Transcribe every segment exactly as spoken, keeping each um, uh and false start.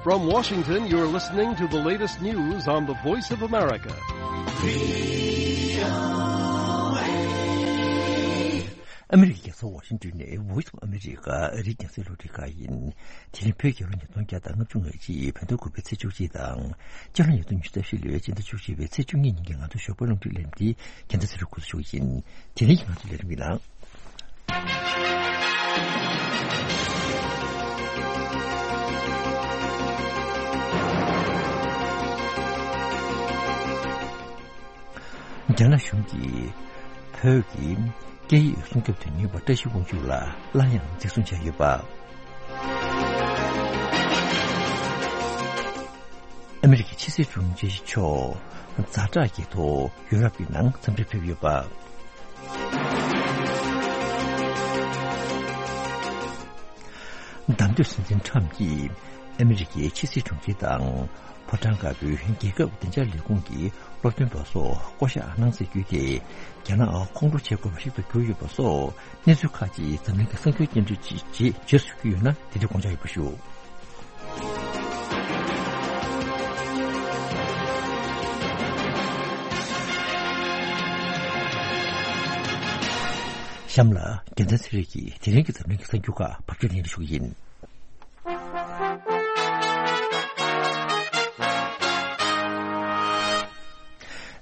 From Washington, you're listening to the latest news on the Voice of America. ཨ་མི་རི་ཀའི་རྒྱལ་ས་ཝ་ཤིང་ཏོན་ནས་Voice of America ཨ་རིའི་རྒྱང་སྲིང་རླུང་འཕྲིན་ཁང་ཡིན། དེ་རིང་བོད་རྒྱལ་ལོ་ཉིས་སྟོང་བརྒྱ་དང་ལྔ་བཅུ་ང་གཅིག་བོད་ཟླ་དགུ་པའི་ཚེས་བཅུ་གཅིག་དང་། སྤྱི་ལོ་ཉིས་སྟོང་ཉི་ཤུ་རྩ་བཞི་ལོའི་སྤྱི་ཟླ་བཅུ་གཅིག་པའི་ཚེས་བཅུ་གཉིས་ཉིན་གྱི་ང་ཚོའི་ཞོགས་པའི་རླུང་འཕྲིན་ལས་རིམ་འདི་རྒྱལ་མཚན་ཚེ་རིང་འགོ་འཛུགས་ཞུ་གི་ཡིན། དེ་རིང་གི་ང་ཚོའི་ལས་རིམ་གྱི་ནང་། རྒྱ་ནག་གཞུང་གིས་བོད་ཀྱི་སྐད་ཡིག་སྲུང་སྐྱོབ་དོན་གཉེར་བ་བཀྲ་ཤིས་དབང་ཕྱུག་ལ་སླར་ཡང་འཛིན་བཟུང་བྱས་ཡོད་པ། ཨ་མི་རི་ཀའི་ཕྱི་སྲིད་དྲུང་ཆེ་མཆོག་ཛ་དྲག་གི་ཐོག་ཡུ་རོབ་ཀྱི་ནང་འཚམས་འདྲིར་ཕེབས་ཡོད་པ། བདམས་ཐོན་སྲིད་འཛིན་ཁྲམ་གྱིས་ཨ་མི་རི་ཀའི་ཕྱི་སྲིད་དྲུང་ཆེ་དང་ཕོ་བྲང་དཀར་པོའི་རྒྱལ་ཁབ་བདེ་འཇགས་ལས་ཁུངས་ཀྱི་སློབ་སྟོན་པ་སོགས་བསྐོ་གཞག་གནང་སྲིད་རྒྱུ་དེ་རྒྱ་ནག་ཁོང་ཁྲོ་བྱེད་དགོས་པ་ཞིག་ཏུ་གྱུར་ཡོད་པ་སོགས་གནས་ཚུལ་ཁག་ཅིག་འཛམ་གླིང་གི་གསར་འགྱུར་སྙན་སྒྲོན་ཅིག་རྗེས་སུ་བརྒྱུད་ཡོད་ན་དེ་འདྲའི་དགོངས་འཇགས་ཡོད་པ་ཞུ། གཤམ་ལ་རྒྱལ་མཚན་ཚེ་རིང་གིས་དེ་རིང་གི་འཛམ་གླིང་གི་གསར་འགྱུར་ཁག་ཕབ་སྒྱུར་ལེན་ཞུ་གི་ཡིན།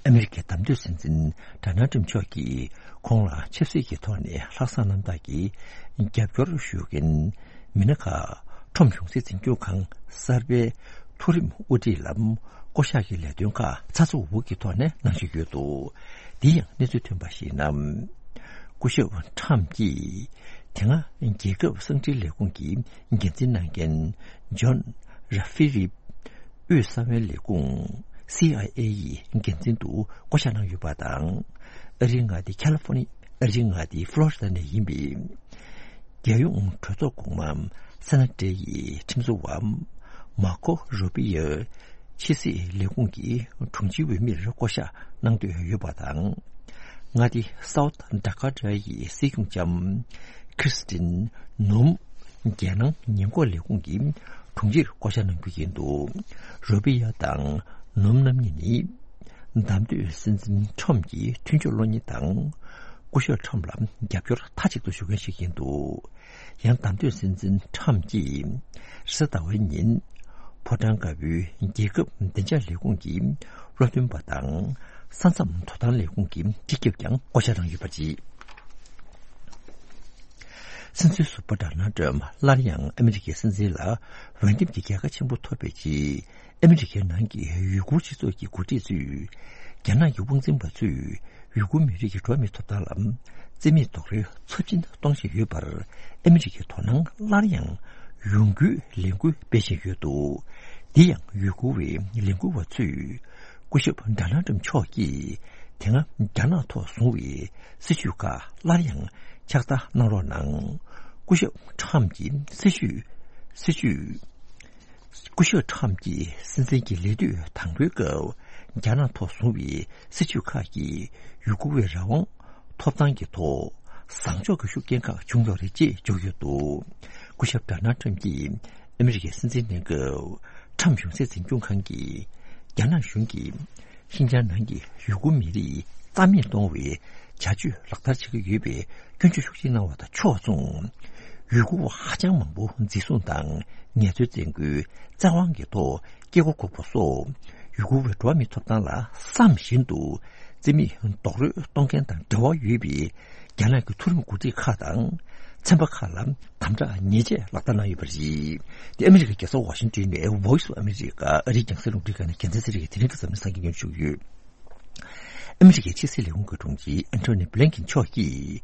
ཨ་མི་རི་ཀའི་བདམས་ཐོན་སྲིད་འཛིན་ཌོ་ནལ་ཊམ་མཆོག་གིས་ཁོང་ལ་ཆབ་སྲིད་ཀྱི་ཐོག་ནས་ལྷག་བསམ་རྣམ་དག་གིས་རྒྱབ་སྐྱོར་ཞུ་མཁན་མི་སྣ་ཁག་ཁྲོམ་གཞུང་སྲིད་འཛིན་སྐྱོང་ཁང་གསར་པའི་མཐོ་རིམ་དབུ་ཁྲིད་ལ་བསྐོ་གཞག་གི་ལས་དོན་ཁག་ཚགས་ཚུད་པོ་གི་ཐོག་ནས་གནང་བཞིན་ཡོད་འདུག། འདི་ཡང་གནས་ཚུལ་ཐོན་པར་གཞིགས་ན། སྐུ་ཞབས་ཁྲམ་གྱིས་དེ་སྔ་རྒྱལ་ཁབ་གསང་འཕྲིན་ལས་ཁུངས་ཀྱི་འགན་འཛིན་གནང་མཁན་ཇོན་ར་ཧྥི་རིབ་དབུས་གསང་བའི་ལས་ཁུངས་སི་ཨའི་ཨེ་ཡི་འགན་འཛིན་དུ་བསྐོ་གཞག་གནང་ཡོད་པ་དང་། ཨ་རིའི་མངའ་སྡེ་ཁ་ལི་ཧྥོ་ནི་ཨ་རིའི་མངའ་སྡེ་ཧྥ་ལོ་རི་ད་ནས་ཡིན་པའི་རྒྱལ་ཡོངས་གྲོས་ཚོགས་གོང་མ་སེ་ན་ཏྲེ་ཡི་ཁྲིམས་བཟོ་བ་མར་ཁོ་རུ་པི་ཡོ་ཕྱི་སྲིད་ལས་ཁུངས་ཀྱི་དྲུང་ཆེའི་འོས་མིར་བསྐོ་གཞག་གནང་འདོད་ཡོད་པ་དང་། མངའ་སྡེ་སའུ་ཐི་ཌ་ཀ་ཊ་ཡི་སྲིད་སྐྱོང་ལྕམ་ཁྲི་སི་ཏིན་ནོམ་རྒྱལ་ནང་ཉེན་འགོག་ལས་ཁུངས་ཀྱི་དྲུང་ཆེར་བསྐོ་གཞག་གནང་རྒྱུ་ཡིན་འདུག། རུ་པི་ཡ་དང་ནོམ་རྣམ་གཉིས་ནི་བདམས་ཐོན་སྲིད་འཛིན་ཁྲོམ་གྱི་མཐུན་ཕྱོགས་བློ་གཉེར་དང་། སྐུ་ཞབས་ཁྲོམ་ལ་རྒྱབ་སྐྱོར་མཐའ་གཅིག་ཏུ་ཞུ་མཁན་ཞིག་ཡིན་འདུག། ཡང་བདམས་ཐོན་སྲིད་འཛིན་ཁྲོམ་གྱིས་རེས་གཟའ་ཟླ་བའི་ཉིན་ཕོ་བྲང་དཀར་པོའི་རྒྱལ་ཁབ་བདེ་འཇགས་ལས་ཁུངས་ཀྱི་སློབ་སྟོན་པ་དང་ས་མཚམས་དོ་དམ་ལས་ཁུངས་ཀྱི་སྤྱི་ཁྱབ་ཀྱང་བསྐོ་གཞག་གནང་ཡོད་པ་རེད། སྲིད་འཛིན་ཟུར་པ་ཌོ་ནལ་ཏྲམ་སླར་ཡང་ཨ་མི་རི་ཀའི་སྲིད་འཛིན་ལ་འོས་འདེམས་ཀྱི་རྒྱལ་ཁ་ཆེན་པོ་ཐོབ་པའི་རྗེས། ཨ་མི་རི་ཀའི་ནང་གི་ཡུ་གུར་སྤྱི་ཚོགས་ཀྱི་འགོ་ཁྲིད་ཚོས་རྒྱ་ནག་གི་དབང་འཛིན་པ་ཚོས་ཡུ་གུར་མི་རིགས་ཀྱི་འགྲོ་བ་མིའི་ཐོབ་ཐང་ལ་བརྩི་མེད་རྡོག་རོལ་ཚབས་ཆེན་གཏོང་བཞིན་ཡོད་པར་ཨ་མི་རི་ཀའི་དོ་སྣང་སླར་ཡང་ཡོང་རྒྱུའི་ལས་འགུལ་སྤེལ་བཞིན་ཡོད་འདུག། འདི་ཡང་ཡུ་གུར་བའི་ལས་འགུལ་བ་ཚོས་སྐུ་ཞབས་ཌོ་ནལ་ཏྲམ་མཆོག་གིས་དེ་སྔ་རྒྱ་ནག་ཐོག་བཟུང་བའི་སྲིད་བྱུས་ཁག་སླར་ཡང་ཕྱག་བསྟར་གནང་རོགས་གནང་། སྐུ་ཞབས་ཁྲོམ་གྱི་སྲིད་བྱུས་སྲིད་བྱུས། སྐུ་ཞབས་ཁྲོམ་གྱིས་སྲིད་འཛིན་གྱི་ལས་དུས་དང་པོའི་སྐབས་རྒྱ་ནག་ཐོག་བཟུང་བའི་སྲིད་བྱུས་ཁག་གིས་ཡུ་གུར་བའི་རང་དབང་ཐོབ་ཐང་གི་ཐོག་བཟང་ཕྱོགས་ཀྱི་ཤུགས་རྐྱེན་ཁག་བྱུང་ཡོད་རེད་ཅེས་བརྗོད་ཡོད་འདུག། སྐུ་ཞབས་ཌོ་ནལ་ཏྲམ་གྱིས་ཨ་མི་རི་ཀའི་སྲིད་འཛིན་གནས་སྐབས་ཁྲོམ་གཞུང་སྲིད་འཛིན་སྐྱོང་ཁང་གིས་རྒྱ་ནག་གཞུང་གིས་ཤིན་ཅང་ནང་གི་ཡུ་གུར་མི་རིགས་རྩ་མེད་གཏོང་བའི་བྱ་སྤྱོད་ལག་བསྟར་བྱེད་ཀྱི་ཡོད་པའི་སྐྱོན་བརྗོད་ཤུགས་ཆེ་གནང་བ་དང་ཕྱོགས་མཚུངས། ཡུ་གུར་བ་ཧ་ཅང་མང་པོ་འཛིན་བཟུང་དང་ངལ་རྩོལ་བཙན་སྐུལ་བཙན་དབང་གི་ཐོག་སྐྱེ་སྒོ་འགོག་པ་སོགས་ཡུ་གུར་བའི་འགྲོ་བ་མིའི་ཐོབ་ཐང་ལ་བསམ་བཞིན་དུ་རྩིས་མེད་རྡོག་རོལ་གཏོང་མཁན་དང་འབྲེལ་བ་ཡོད་པའི་རྒྱ་ནག་གི་མཐོ་རིམ་འགོ་ཁྲིད་ཁག་དང་ཚན་པ་ཁག་ལ་དམ་དྲག་ཉེས་ཆད་ལག་བསྟར་གནང་ཡོད་པ་རེད། དེ་ཨ་མི་རི་ཀའི་རྒྱལ་ས་ཝ་ཤིང་ཏོན་ནས་Voice of America ཨ་རིའི་རྒྱང་སྲིང་རླུང་འཕྲིན་ཁང་ནས་རྒྱལ་མཚན་ཚེ་རིང་གིས་དེ་རིང་གི་འཛམ་གླིང་གསར་འགྱུར་སྙན་ཞུ་ཞུས་ཡོད། ཨ་མི་རི་ཀའི་ཕྱི་སྲིད་ལས་ཁུངས་ཀྱི་དྲུང་ཆེ་ཨན་ཐོ་ནི་བྷི་ལིན་ཀིན་མཆོག་གིས་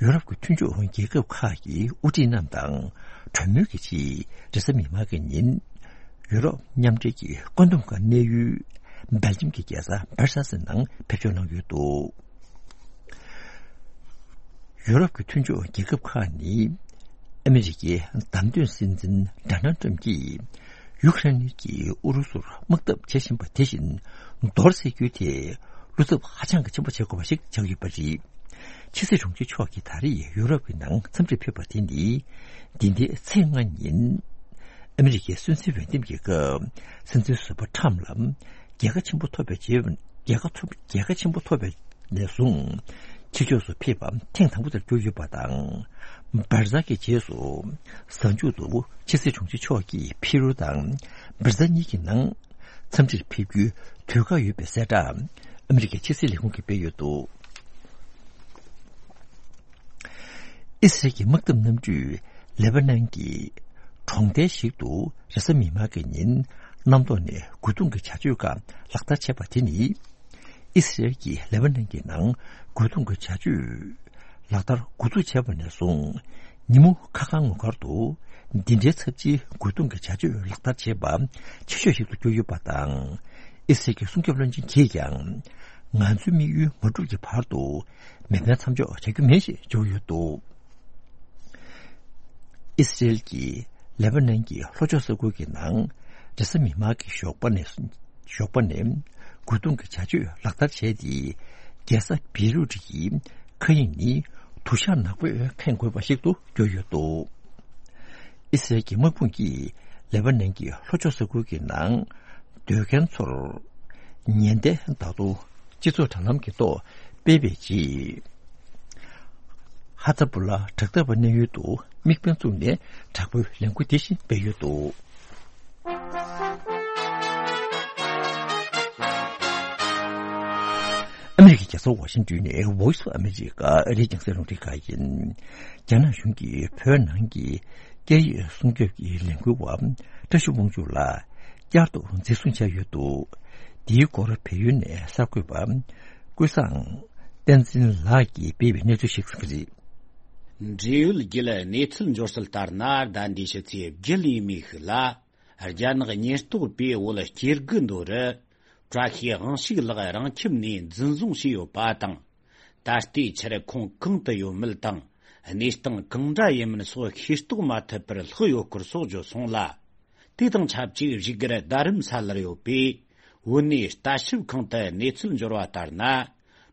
ཡུ་རོབ་ཀྱི་མཐུན་ཕྱོགས་རྒྱལ་ཁབ་ཁག་གི་དབུ་ཁྲིད་རྣམས་དང་གྲོས་མོལ་གྱི་ཆེད་རེས་གཟའ་མིག་དམར་གྱི་ཉིན་ཡུ་རོབ་མཉམ་འབྲེལ་གྱི་བཀོད་འདོམས་ཁང་གནས་ཡུལ་སྦེལ་ཇམ་གྱི་རྒྱལ་ས་བྷར་སེལ་སི་ནང་ཕེབས་འབྱོར་གནང་ཡོད་འདུག། ཡུ་རོབ་ཀྱི་མཐུན་ཕྱོགས་རྒྱལ་ཁབ་ཁག་ནི་ཨ་མི་རི་ཀའི་བདམས་ཐོན་སྲིད་འཛིན་ཌོ་ནལ་ཏྲམ་གྱིས་ཡུ་ཁ་རེན་གྱིས་ཨུ་རུ་སུར་དམག་འཐབ་བྱེད་བཞིན་པ་དེ་བཞིན་མདོར་བསྡུས་རྒྱུ་དེ་བློ་འཚབ་ཧ་ཅང་གི་ཆེན་པོ་བྱེད་དགོས་པ་ཞིག་ཆགས་ཡོད་པ་རེད། ཕྱི་སྲིད་དྲུང་ཆེ་མཆོག་གིས་ད་རེས་ཡུ་རོབ་ཀྱི་ནང་འཚམས་འདྲིར་ཕེབས་པ་དེ་ནི་འདི་ཟླའི་ཚེས་ལྔ་ཉིན་ ཨ་མི་རི་ཀའི་སྲིད་འཛིན་འོས་འདེམས་ཀྱི་སྐབས། སྲིད་འཛིན་ཟུར་པ་ཁྲམ་ལ་རྒྱལ་ཁ་ཆེན་པོ་ཐོབ་པའི་རྗེས། རྒྱལ་ཁ་ཐོབ། རྒྱལ་ཁ་ཆེན་པོ་ཐོབ་པའི་ནས་བཟུང་། ཕྱི་ཕྱོགས་སུ་ཕེབས་པ་ཐེངས་དང་པོ་དེར་གྱུར་ཡོད་པ་དང་། བྷར་ཛ་གི་རྗེས་སུ། གཟའ་མཇུག་ཏུ་ཕྱི་སྲིད་དྲུང་ཆེ་མཆོག་གིས་ཕི་རུ་དང་། བྷར་ཛ་གཉིས་ཀྱི་ནང་། འཚམས་འདྲིར་ཕེབས་རྒྱུའི་དུས་བཀག་ཡོད་པའི་གསལ་བསྒྲགས། ཨ་མི་རི་ཀའི་ཕྱི་སྲིད་ལས་ཁུངས་ཀྱིས་སྤེལ་ཡོད་འདུག་ཨི་སི་རལ་གྱི་དམག་འཐབ་གནམ་གྲུས་ལེ་པ་ནན་གྱི་གྲོང་རྡལ་ཞིག་ཏུ་རེས་གཟའ་མིག་དམར་གྱི་ཉིན་གནམ་ཐོག་ནས་རྒོལ་རྡུང་གི་བྱ་སྤྱོད་ཁག་ལག་བསྟར་བྱས་པ་དེ་ནི། ཨི་སི་རལ་གྱིས་ལེ་པ་ནན་གྱི་ནང་རྒོལ་རྡུང་གི་བྱ་སྤྱོད་ལག་བསྟར་འགོ་འཛུགས་བྱས་པ་ནས་བཟུང་། ཉིན་མོ་ཁ་ཁ་ངོ་དཀར་དུ་འདི་འདྲའི་ཚབས་ཆེའི་རྒོལ་རྡུང་གི་བྱ་སྤྱོད་ལག་བསྟར་བྱས་པ་ཆེ་ཤོས་ཤིག་ཏུ་གྱུར་ཡོད་པ་དང་། ཨི་སི་རལ་གྱི་སྲུང་སྐྱོབ་བློན་ཆེན་གྱིས་ཀྱང་། ང་ཚོའི་དམིགས་ཡུལ་མ་འགྲུབ་ཀྱི་བར་དུ་མེ་འཕེན་མཚམས་འཇོག་བྱ་རྒྱུ་མེད་ཞེས་བརྗོད་ཡོད་འདུག་ཨི་སི་རལ་གྱིས་ལེ་པ་ནན་གྱི་ལྷོ་ཕྱོགས་ས་ཁུལ་གྱི་ནང་རེས་གཟའ་མིག་དམར་གྱི་ཞོགས་པ་ནས། ཞོགས་པ་ནས་རྒོལ་རྡུང་གི་བྱ་སྤྱོད་ལག་བསྟར་བྱས་ཏེ། རྒྱལ་ས་བེ་རུ་ཊི་ཡི་མཁའ་དབྱིངས་ནི་དུ་ཞག་ནག་པོས་ཁེངས་དགོས་པ་ཞིག་ཏུ་གྱུར་ཡོད་འདུག་ཨི་སི་རལ་གྱི་དམག་དཔུང་གིས་ལེ་པ་ནན་གྱི་ལྷོ་ཕྱོགས་ས་ཁུལ་གྱི་ནང་སྡོད་མཁན་ཚོར་ཉེན་བརྡ་ད་དུང་སྤྱི་ཚོགས་དྲ་ལམ་གྱི་ཐོག་སྤེལ་བའི་རྗེས། ཧ་ཛ་བུ་ལ་དྲག་འཐབ་པ་གནས་ཡུལ་དུ་དམིགས་འབེན་བཙུགས་ནས་དྲག་པོའི་ལས་འགུལ་དེ་བཞིན་སྤེལ་ཡོད་འདུག་ཨ་མི་རི་ཀའི་རྒྱལ་ས་ཝ་ཤིང་ཏོན་ནས་Voice of America ཨ་རིའི་རྒྱང་སྲིང་རླུང་འཕྲིན་ཁང་ཡིན། རྒྱ་ནག་གཞུང་གིས་བོད་ནང་གི་སྐད་ཡིག་སྲུང་སྐྱོབ་ཀྱི་ལས་འགུལ་བ་བཀྲ་ཤིས་དབང་ཕྱུག་ལགས་བསྐྱར་དུ་འཛིན་བཟུང་བྱས་ཡོད་འདུག་འདིའི་སྐོར་བལ་ཡུལ་ནས་གསར་འགོད་པ་ཀུན་བཟང་བསྟན་འཛིན་ལགས་ཀྱིས་སྤེལ་བའི་གནས་ཚུལ་ཞིག་རེད། འབྲེལ་ཡོད་བརྒྱུད་གནས་ཚུལ་འབྱོར་གསལ་ལྟར་ན། ཟླ་འདིའི་ཕྱི་ཚེས་བརྒྱད་ཡིན་མོད་ཤིག་ལ། རྒྱ་ནག་ཉེན་རྟོག་པས་བོད་སྐྱེ་རྒུ་མདོ་རུ་བཀྲ་ཤིས་དབང་ཕྱུག་ལགས་རང་ཁྱིམ་ནས་འཛིན་བཟུང་བྱས་ཡོད་པ་དང་། ད་ལྟའི་ཆར་ཁོང་གང་དུ་ཡོད་མེད་དང་། གནས་སྟངས་གང་འདྲ་ཡིན་མིན་སོགས་ཤེས་རྟོགས་མ་ཐུབ་པར་ལྷག་ཡོད་སྐོར་སོགས་བརྗོད་སོང་ལ། དེ་དང་ཆབས་ཅིག་བཞུགས་སྒར་རྡ་རམ་ས་ལར་ཡོད་པའི་བོད་གནས་ལྟ་ཞིབ་ཁང་དུ་གནས་ཚུལ་འབྱོར་བ་ལྟར་ན།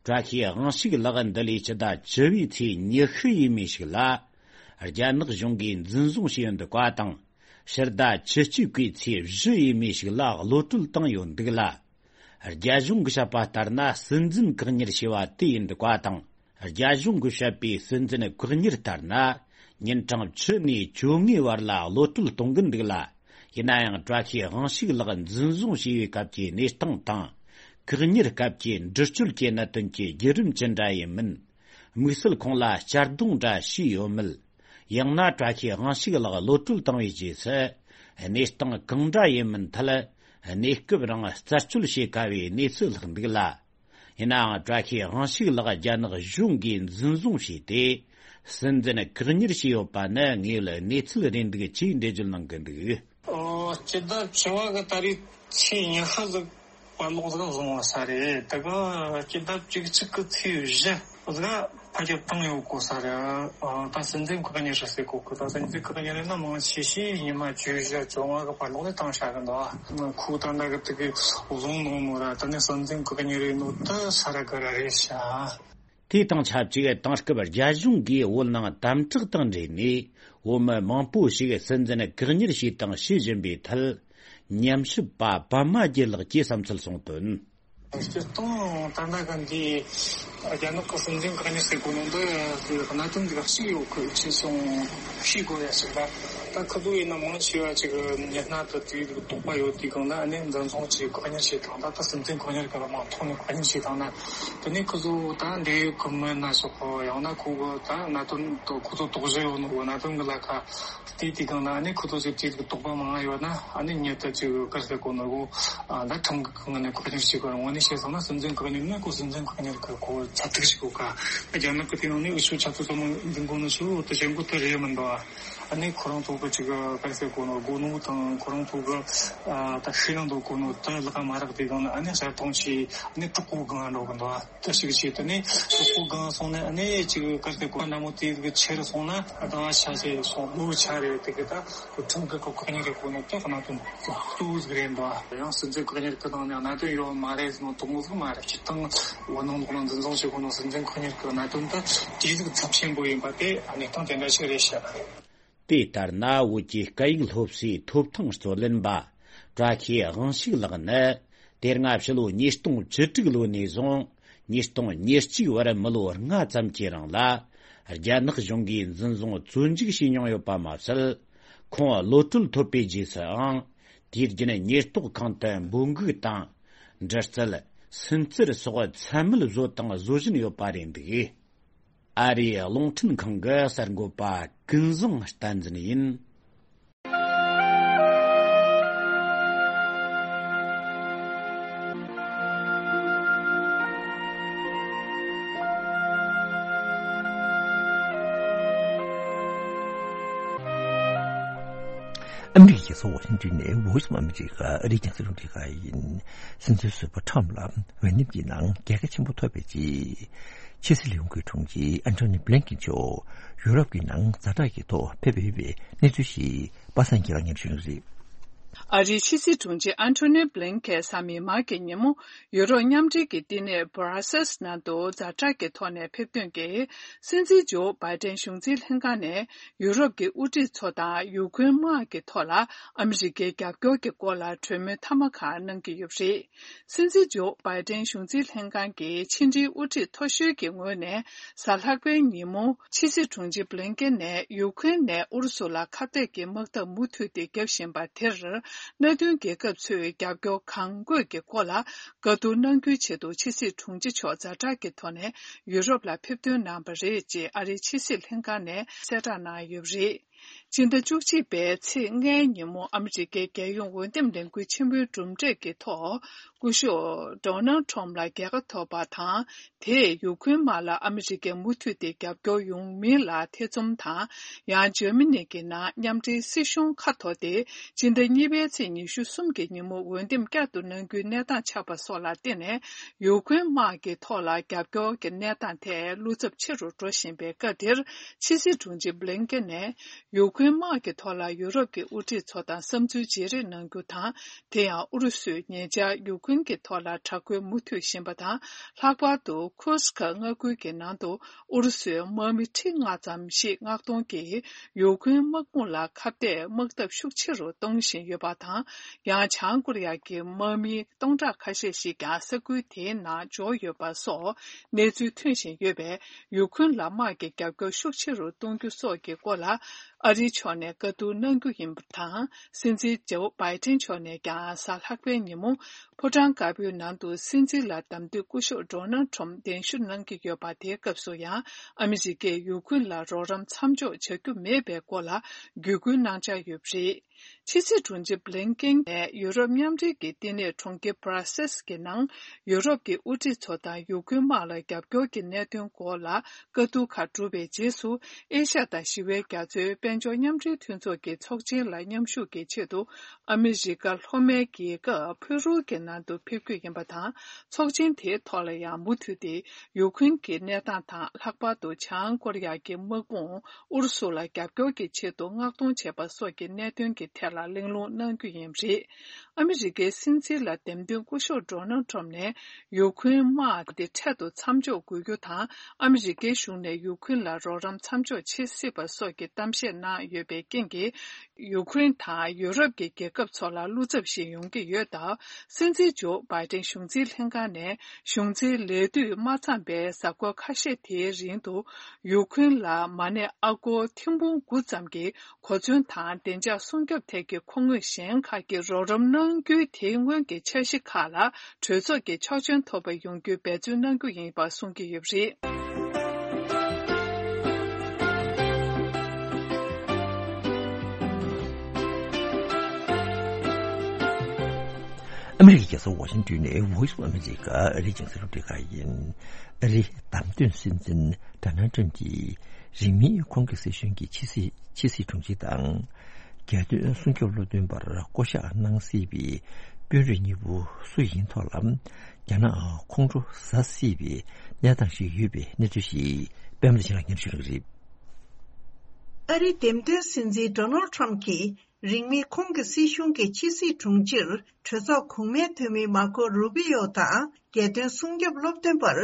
བཀྲ་ཤིས་དབང་ཕྱུག་ལགས་འདི་ལོའི་སྤྱི་ཟླ་བཅུ་བའི་ཚེས་ཉི་ཤུ་ཡིན་མོད་ཤིག་ལ། རྒྱ་ནག་གཞུང་གིས་འཛིན་བཟུང་བྱས་ཡོད་འདུག་པ་དང་། ཕྱི་ཟླ་བཅུ་གཅིག་པའི་ཚེས་བཞི་ཡིན་མོད་ཤིག་ལ་གློད་གྲོལ་བཏང་ཡོད་འདུག་ལ། རྒྱ་གཞུང་གིས་བཤད་པ་ལྟར་ན། སྲིད་འཛིན་བཀག་ཉར་བྱས་པ་དེ་ཡིན་འདུག་པ་དང་། རྒྱ་གཞུང་གིས་བཤད་པའི་སྲིད་འཛིན་བཀག་ཉར་ལྟར་ན། ཉིན་གྲངས་བཅུ་ནས་བཅོ་ལྔའི་བར་ལ་གློད་གྲོལ་གཏོང་གི་འདུག་ལ། ཡིན་ན་ཡང་། བཀྲ་ཤིས་དབང་ཕྱུག་ལགས་འཛིན་བཟུང་བྱས་པའི་སྐབས་ཀྱི་གནས་སྟངས་དང་། བཀག་ཉར་སྐབས་ཀྱི་འདྲི་གཅོད་ཀྱི་གནད་དོན་གྱི་བརྒྱུད་རིམ་ཅི་འདྲ་ཡིན་མིན། དམིགས་བསལ་ཁོང་ལ་གཅར་རྡུང་འདྲ་བྱས་ཡོད་མེད། ཡང་ན། བཀྲ་ཤིས་དབང་ཕྱུག་ལགས་གློད་གྲོལ་བཏང་བའི་རྗེས་སུ། གནས་སྟངས་གང་འདྲ་ཡིན་མིན་ཐད། གནས་སྐབས་རིང་རྩད་གཅོད་བྱེད་དཀའ་བའི་གནས་ཚུལ་ལྷག་འདུག་ལ། ཡིན་ནའང་། བཀྲ་ཤིས་དབང་ཕྱུག་ལགས་རྒྱ་ནག་གཞུང་གིས་འཛིན་བཟུང་བྱས་ཏེ། སྲིད་འཛིན་བཀག་ཉར་བྱས་ཡོད་པ་ནི་དངོས་ཡོད་གནས་ཚུལ་རེད་འདུག་ཅེས་འགྲེལ་བརྗོད་གནང་གི་འདུག་ཨོ། སྤྱི་ཟླ་བཅུ་པ་གི་ད་རེས་ཚེས་ཉི་ཤུ་ཟིག་བར་ལོག་ཟིག་བཟུང་བ་ས་རེད། དེ་གི་སྤྱི་ཟླ་བཅུ་གཅིག་གི་ཚེས་བཞི་ཟིག་ཕར་རྒྱབ་བཏང་ཡོད་གོ་ས་རེད། ཨ། ད་སྲིད་འཛིན་བཀག་ཉར་རེད་ཟེར་གོ་གི། ད་སྲིད་འཛིན་བཀག་ཉར་ཡིན་ན་མང་ཆེ་ཤོས་ཉི་མ་བཅུ་བཞི་བཅོ་ལྔ་གི་བར་ལོག་ནས་བཏང་བཞག་གི་འདུག་ཨ། ཁོ་ད་ལྟ་གི་དེ་གི་བཟུང་ནོ་མོ་ར། ད་ནི་སྲིད་འཛིན་བཀག་ཉར་ཡིན་ནོ་ད་ས་ར་ག་ར་རེད་ཤག་དེ་དང་ཆབས་ཅིག་དེང་སྐབས་རྒྱ་གཞུང་གིས་བོད་ནང་དམ་དྲག་དང་འབྲེལ་ནས། བོད་མི་མང་པོ་ཞིག་སྲིད་འཛིན་བཀག་ཉར་བྱས་དང་བྱེད་བཞིན་པའི་ཐད། ཉམས་ཞིབ་པ་པདྨ་རྒྱལ་ལགས་ཀྱིས་བསམ་ཚུལ་གསུངས་དོན། སྤྱིར་བཏང་ད་ལྟ་གི་འདི་རྒྱ་ནག་གི་སྲིད་འཛིན་བཀག་ཉར་ཟེར་གོ་ནོ་འདི་གནད་དོན་འདི་གཅིག་ཡོད་གི། ཅི་སོང་ཤེས་དགོས་ཡ་ཞིག་ལ། ད་ཁི་ཚོ་ཡིན་ན་མང་ཆེ་བ་ཅིག་ཉི་ཤུ་དང་དེའི་དོགས་པ་ཡོད་དུས་སྒང་ལ། ཨ་ནི་འཛིན་བཟུང་བྱས་བཀག་ཉར་བྱས་དང་། ད་ད་སྲིད་འཛིན་བཀག་ཉར་གི་མ་ཐོག་ནས་བཀག་ཉར་བྱས་དང་ན། དེ་ནས་ཁི་ཚོ་ད་འབྲེལ་ཡོད་གི་མི་སྣ་སོགས་གི། ཡང་ན་ཁོ་གི་ད་གནད་དོན་དུ་ཁོ་ཚོ་དོགས་གཞི་ཡོད་ནོ་གི་གནད་དོན་གི་ལ་ཁ་བལྟས་དུས་སྒང་ལ། ཨ་ནི་ཁོ་ཚོ་ཚོས་དེའི་དོགས་པ་མང་ང་ཡོད་ན། ཨ་ནི་ཉེ་དུ་ཅིག་ག་རེ་ཟེར་གོ་ནོ་གོ། ཨ། ད་ཁྲིམས་ཀྱི་ངོས་ནས་བཀག་ཉར་བྱེད་དགོས། དངོས་གནས་བཤད་སོང་ན་སྲིད་འཛིན་བཀག་ཉར་ནི་ཁོ་སྲིད་འཛིན་བཀག་ཉར་གི་ཁོ་ཚབ་ཏུ་ཞིག་གོ་ག་རྒྱ་ནག་གི་དེ་ནང་ནས་འུ་ཆོ་ཆབ་སྲིད་ཚོགས་མི་འཛིན་གོ་ནོ་ཆོ་དེ་བྱེད་དགོས་དེ་རེད་མི་འདུག་ཨ་ནི་ཁོ་རང་ཚོ་གི་ཅིག་ག་རེ་ཟེར་གོ་ནོ། དགོས་ནོ་དང་ཁོ་རང་ཚོ་གི། ཨ། ད་ཤེས་ན་འདོད་གོ་ནོ་དེ་ལག་མ་རག་དུས་སྒང་ལ། ཨ་ནི་གསར་གཏོང་བྱས། ཨ་ནི་དྲག་པོ་སྒང་འགྲོ་གི་འདུག་ཨ། དེ་ཞིག་བྱས། དེ་ནས་དྲག་པོ་སྒང་སོང་ནས། ཨ་ནི་ཅིག་ག་རེ་ཟེར་གོ། ན་མོ་དེ་གི་ཆེ་རུ་སོང་ན། ཨ། ད་ཆ་ཆེ་སོང་ལོ་ཆ་རེད། དེ་གི་ད་ཁྲིམས་ཀྱི་བཀག་ཉར་གི་གོ་ནོ་དེ་གནད་དོན་གཙོ་བོ་ཟིག་རེད་འདུག་ཨ། ཡང་སྲིད་འཛིན་བཀག་ཉར་གི་སྟེང་ནས་གནད་དོན་ཡོད་མ་རེད་ཟེར་ནོ་དེ་མོ་ཟིག་མ་རེད། སྤྱིར་བཏང་བོད་ནང་ལོགས་ལ་འཛིན་བཟུང་བྱེད་གོ་ནོ་སྲིད་འཛིན་བཀག་ཉར་གི་གནད་དོན་དེ་གྲོས་ལུགས་ཚབས་ཆེན་པོ་ཡིན་པ་དེ་གནས་སྟངས་དེ་འདྲ་ཞིག་རེད་ཤག་དེ་ལྟར་ན། བོད་ཀྱི་སྐད་ཡིག་སློབ་གསོའི་ཐོབ་ཐང་རྩོད་ལེན་པ་བཀྲ་ཤིས་དབང་ཕྱུག་ལགས་ནི། དེ་སྔ་ཕྱི་ལོ་ཉིས་སྟོང་བཅུ་དྲུག་ལོ་ནས་བཟུང་ཉིས་སྟོང་ཉེར་གཅིག་བར་མི་ལོ་ལྔ་ཙམ་གྱི་རིང་ལ། རྒྱ་ནག་གཞུང་གིས་འཛིན་བཟུང་བཙོན་འཇུག་བྱས་མྱོང་ཡོད་པ་མ་ཟད། ཁོང་གློད་གྲོལ་ཐོབ་པའི་རྗེས་སུའང་། དུས་རྒྱུན་ཉེན་རྟོག་ཁང་དུ་འབོད་འགུག་དང་། འདྲི་རྩད། སུན་གཙེར་སོགས་མཚན་སྨད་བཟོས་དང་བཟོ་བཞིན་ཡོད་པ་རེད་འདུག། ཨ་རིའི་རླུང་འཕྲིན་ཁང་གི་གསར་འགོད་པ་ཀུན་བཟང་བསྟན་འཛིན་ཡིན། ཨ་མི་རི་ཀའི་རྒྱལ་ས་ཝ་ཤིང་ཏོན་ནས་Voice of America ཨ་རིའི་རྒྱང་སྲིང་རླུང་འཕྲིན་ཁང་ཡིན། སྲིད་འཛིན་ཟུར་པ་ཁྲམ་ལ་འོས་འདེམས་ཀྱི་ནང་རྒྱལ་ཁ་ཆེན་པོ་ཐོབ་པའི་རྗེས། ཕྱི་སྲིད་ལས་ཁུངས་ཀྱི་དྲུང་ཆེ་ཨན་ཐོ་ནི་བྷི་ལིན་ཀིན་མཆོག་ཡུ་རོབ་ཀྱི་ནང་ཛ་དྲག་གི་ཐོག་ཕེབས་པའི་གནས་ཚུལ་ཞིག་པ་སངས་སྐྱིད་ལགས་སྙན་ཞུ་ཡོང་རེད། ཨ་རིའི་ཕྱི་སྲིད་དྲུང་ཆེ་ཨན་ཐོ་ནི་བྷི་ལིན་ཀིན་གཟའ་མིག་དམར་གྱི་ཉིན་མོ་ཡུ་རོབ་མཉམ་འབྲེལ་གྱི་བསྟི་གནས་Brussels ནང་དུ་ཛ་དྲག་གི་ཐོག་ནས་ཕེབས་ཐོན་གྱིས། སྲིད་འཛིན་ཇོ་བྷའི་ཏན་གཞུང་འཛིན་ལྷན་ཁང་ནས་ཡུ་རོབ་ཀྱི་དབུ་ཁྲིད་ཚོ་དང་ཡུ་ཁུན་དམག་གི་ཐོག་ལ་ཨ་མི་རི་ཀའི་རྒྱབ་སྐྱོར་གྱི་སྐོར་ལ་གྲོས་མོལ་མཐའ་མ་ཁག་གནང་གི་ཡོད་པ་རེད། སྲིད་འཛིན་ཇོ་བྷའི་ཏན་གཞུང་འཛིན་ལྷན་ཁང་གི་ཕྱི་འབྲེལ་དབུ་ཁྲིད་མཐོ་ཤོས་ཀྱི་ངོས་ནས་གཟའ་ལྷག་པའི་ཉིན་མོ་ཕྱི་སྲིད་དྲུང་ཆེ་བྷི་ལིན་ཀེན་ནས་ཡུ་ཁུན་ནས་ཨུ་རུ་སུ་ལ་ཁ་གཏད་ཀྱི་དམག་འཐབ་མུ་མཐུད་དེ་བརྒྱབ་བཞིན་པ་དེར། མནའ་མཐུན་རྒྱལ་ཁབ་ཚོས་རྒྱབ་སྐྱོར་གང་དགོས་ཀྱི་སྐོར་ལ་བཀའ་བསྡུར་གནང་རྒྱུའི་ཆེད་དུ་ཕྱི་སྲིད་དྲུང་ཆེ་མཆོག་ཛ་དྲག་གི་ཐོག་ནས་ཡུ་རོབ་ལ་ཕེབས་ཐོན་གནང་བ་རེད་ཅེས་ཨ་རིའི་ཕྱི་སྲིད་ལྷན་ཁང་ནས་གསལ་བསྒྲགས་གནང་ཡོད་པ་རེད། སྤྱི་ཟླ་བཅུ་གཅིག་པའི་ཚེས་ལྔའི་ཉིན་མོ་ཨ་མི་རི་ཀའི་རྒྱལ་ཡོངས་འོས་འདེམས་ལས་འགུལ་ཆེན་མོའི་གྲུབ་འབྲས་ཀྱི་ཐོག་སྐུ་ཞབས་ཌོ་ནལ་ཁྲོམ་ལ་རྒྱལ་ཁ་ཐོབ་པ་དང་། དེས་ཡུ་ཁུན་དམག་ལ་ཨ་མི་རི་ཀས་མུ་མཐུད་དེ་རྒྱབ་སྐྱོར་ཡོང་མིན་ལ་ཐེ་ཚོམ་དང་། ཡང་འཇར་མ་ནི་གི་ནང་མཉམ་འབྲེལ་སྲིད་གཞུང་ཁ་འཐོར་ཏེ། སྤྱི་ཟླ་གཉིས་པའི་ཚེས་ཉི་ཤུ་གསུམ་གྱི་ཉིན་མོ་འོས་འདེམས་བསྐྱར་དུ་གནང་རྒྱུའི་གནས་སྟངས་ཆགས་པ་སོགས་ལ་བརྟེན་ནས། ཡུ་ཁུན་དམག་གི་ཐོག་ལ་རྒྱབ་སྐྱོར་གྱི་གནས་སྟངས་ཐད་བློ་འཚབ་ཆེ་རུ་འགྲོ་བཞིན་པའི་སྐབས་དེར། ཕྱི་སྲིད་དྲུང་ཆེ་བྷི་ལིན་ཀེན་ནས། ཡུ་ཁུན་དམག་གི་ཐོག་ལ་ཡུ་རོབ་ཀྱི་དབུ་ཁྲིད་ཚོ་དང་བསམ་ཚུལ་བརྗེ་རེས་གནང་རྒྱུ་དང་། དེ་ཡང་ཨུ་རུ་སུས་ཉེ་ཆར་ཡུ་ཁུན་གྱི་ཐོག་ལ་དྲག་རྒོལ་མུ་མཐུད་བཞིན་པ་དང་། ལྷག་པར་དུ་ཁུར་སི་ཁ་མངའ་ཁུལ་གྱི་ནང་དུ་ཨུ་རུ་སུའི་དམག་མི་ཁྲི་ལྔ་ཙམ་ཞིག་མངགས་གཏོང་གིས་ཡུ་ཁུན་དམག་དཔུང་ལ་ཁ་གཏད་དམག་འཐབ་ཤུགས་ཆེ་རུ་གཏོང་བཞིན་ཡོད་པ་དང་། ཡང་བྱང་ཀོ་རི་ཡ་གི་དམག་མི་སྟོང་ཕྲག་ཁ་ཤས་ཤིག་ཀྱང་ས་ཁུལ་དེའི་ནང་འབྱོར་ཡོད་པ་སོགས་གནས་ཚུལ་ཐོན་བཞིན་ཡོད་པས། ཡུ་ཁུན་ལ་དམག་གི་རྒྱབ་སྐྱོར་ཤུགས་ཆེ་རུ་གཏོང་རྒྱུ་སོགས་ཀྱི་སྐོར་ལ། ཨ་རིའི་ཕྱོགས་ནས་བཀའ་བསྡུར་གནང་རྒྱུ་ཡིན་པ་དང་། སྲིད་འཛིན་ཇོ་བྷའི་ཏན་མཆོག་ནས་ཀྱང་གཟའ་ལྷག་པའི་ཉིན་མོ། ཕོ་བྲང་དཀར་པོའི་ནང་དུ་སྲིད་འཛིན་ལ་གདམ་འཐུས་སྐུ་ཞབས་ཌོ་ནལ་ཁྲོམ་གདན་ཞུ་གནང་གི་ཡོད་པ། དེའི་སྐབས་སུ་ཡང་ཨ་མི་རི་ཀས་ཡུ་ཁུན་ལ་རོགས་རམ་མཚམས་འཇོག་བྱ་རྒྱུ་མེད་པའི་སྐོར་ལ་བརྒྱུད་སྐུལ་གནང་འཆར་ཡོད་པ་རེད། ཕྱི་སྲིད་དྲུང་ཆེ་བྷི་ལིན་ཀེན་ནས་ཡུ་རོབ་མཉམ་འབྲེལ་གྱི་བསྟི་གནས་གྲོང་ཁྱེར་Brussels གྱི་ནང་ཡུ་རོབ་ཀྱི་དབུ་ཁྲིད་ཚོ་དང་ཡུ་ཁུན་དམག་ལ་རྒྱབ་སྐྱོར་གྱི་གནད་དོན་སྐོར་ལ། བཀའ་བསྡུར་ཁག་གྲུབ་པའི་རྗེས་སུ། ཨེ་ཤ་ཡ་དང་ཞི་བའི་རྒྱ་མཚོའི་དཔལ་འབྱོར་མཉམ་འབྲེལ་མཐུན་ཚོགས་ཀྱི་ཚོགས་ཆེན་ལ་མཉམ་ཞུགས་ཀྱི་ཆེད་དུ། ཨ་མི་རི་ཀ་ལྷོ་མའི་རྒྱལ་ཁབ་ཕུ་རུ་གྱི་ནང་དུ་ཕེབས་རྒྱུ་ཡིན་པ་དང་། ཚོགས་ཆེན་དེའི་ཐོག་ལ་ཡང་མུ་མཐུད་དེ་ཡུ་ཁུན་གྱི་གནས་སྟངས་དང་། ལྷག་པར་དུ་བྱང་ཀོ་རི་ཡ་གི་དམག་དཔུང་ཨུ་རུ་སུ་ལ་རྒྱབ་སྐྱོར་གྱི་ཆེད་དུ་མངགས་གཏོང་བྱས་པ་སོགས་ཀྱི་གནད་དོན་གྱི་ཐད་ལ་གླེང་སློང་གནང་རྒྱུ་ཡིན་པ་རེད། ཨ་མི་རི་ཀའི་སྲིད་འཛིན་ལ་འདེམས་ཐོན་སྐུ་ཞབས་ཌོ་ནལ་ཁྲོམ་ནས། ཡུ་ཁུན་དམག་དེ་འཕྲལ་དུ་མཚམས་འཇོག་དགོས་རྒྱུ་དང་། ཨ་མི་རི་ཀའི་གཞུང་ནས་ཡུ་ཁུན་ལ་རོགས་རམ་མཚམས་འཇོག་བྱེད་སྲིད་པ་སོགས་ཀྱི་གཏམ་བཤད་གནང་ཡོད་པའི་རྐྱེན་གྱིས། ཡུ་ཁུན་དང་ཡུ་རོབ་ཀྱི་རྒྱལ་ཁབ་ཚོ་ལ་བློ་འཚབ་ཞིག་ཡོང་གི་ཡོད་སྟབས། སྲིད་འཛིན་ཇོ་བྷའི་ཏན་གཞུང་འཛིན་ལྷན་ཁང་ནས་གཞུང་འཛིན་ལས་དུས་མ་ཚང་པའི་གཟའ་འཁོར་ཁ་ཤས་དེའི་རིང་དུ། ཡུ་ཁུན་ལ་མ་ཎི་ཨ་སྒོར་ཐེར་འབུམ་དགུ་ཙམ་གྱི། གོ་མཚོན་དང་བདེ་འཇགས་སྲུང་སྐྱོབ་ཐད་ཀྱི་མཁོ་དངོས་གཞན་ཁག་གི་རོགས་རམ་གནང་རྒྱུའི་དེ་སྔོན་གྱི་འཆར་གཞི་ཁག་ལ་གྲོས་ཚོགས་ཀྱི་ཆོག་མཆན་ཐོབ་པ་ཡོང་རྒྱུའི་འབད་བརྩོན་གནང་རྒྱུ་ཡིན་པ་གསུང་གི་ཡོད་པ་རེད། ཨ་མི་རི་ཀའི་རྒྱལ་ས་ཝ་ཤིང་ཏོན་ནས་Voice of America ཨ་རིའི་རྒྱང་སྲིང་རླུང་འཕྲིན་ཁང་ཡིན། ཨ་རིའི་བདམས་ཐོན་སྲིད་འཛིན་ཌོ་ནལ་ཊམ་གྱིས་རིང་མིན་ཁོང་གི་སྲིད་གཞུང་གི་ཕྱི་སྲིད་ཕྱི་སྲིད་དྲུང་ཆེ་དང་། རྒྱལ་དོན་སྲུང་སྐྱོབ་སློབ་སྟོན་པར་བསྐོ་གཞག་གནང་སྲིད་པའི་དཔོན་རིགས་གཉིས་པོ་སུ་ཡིན་ཐོག་ལ། རྒྱ་ནག་ཁོང་ཁྲོ་ཟ་སྲིད་པའི་གནས་སྟངས་ཤིག་ཡོད་པའི་གནས་ཚུལ་ཞིག་པད་མ་བདེ་ཆེན་ལགས་སྙན་ཞུ་གནང་གི་རེད། ཨ་རིའི་འདེམས་ཐོན་སྲིད་འཛིན་ཌོ་ནལ་ཊམ་གྱིས། རིང་མིན་ཁོང་གི་སྲིད་གཞུང་གི་ཕྱི་སྲིད་དྲུང་ཆེར་གྲོས་ཚོགས་གོང་མའི་འཐུས་མི་མར་ཀོ་རུ་པི་ཡོ་དང་རྒྱལ་དོན་སྲུང་སྐྱོབ་སློབ་སྟོན་པར་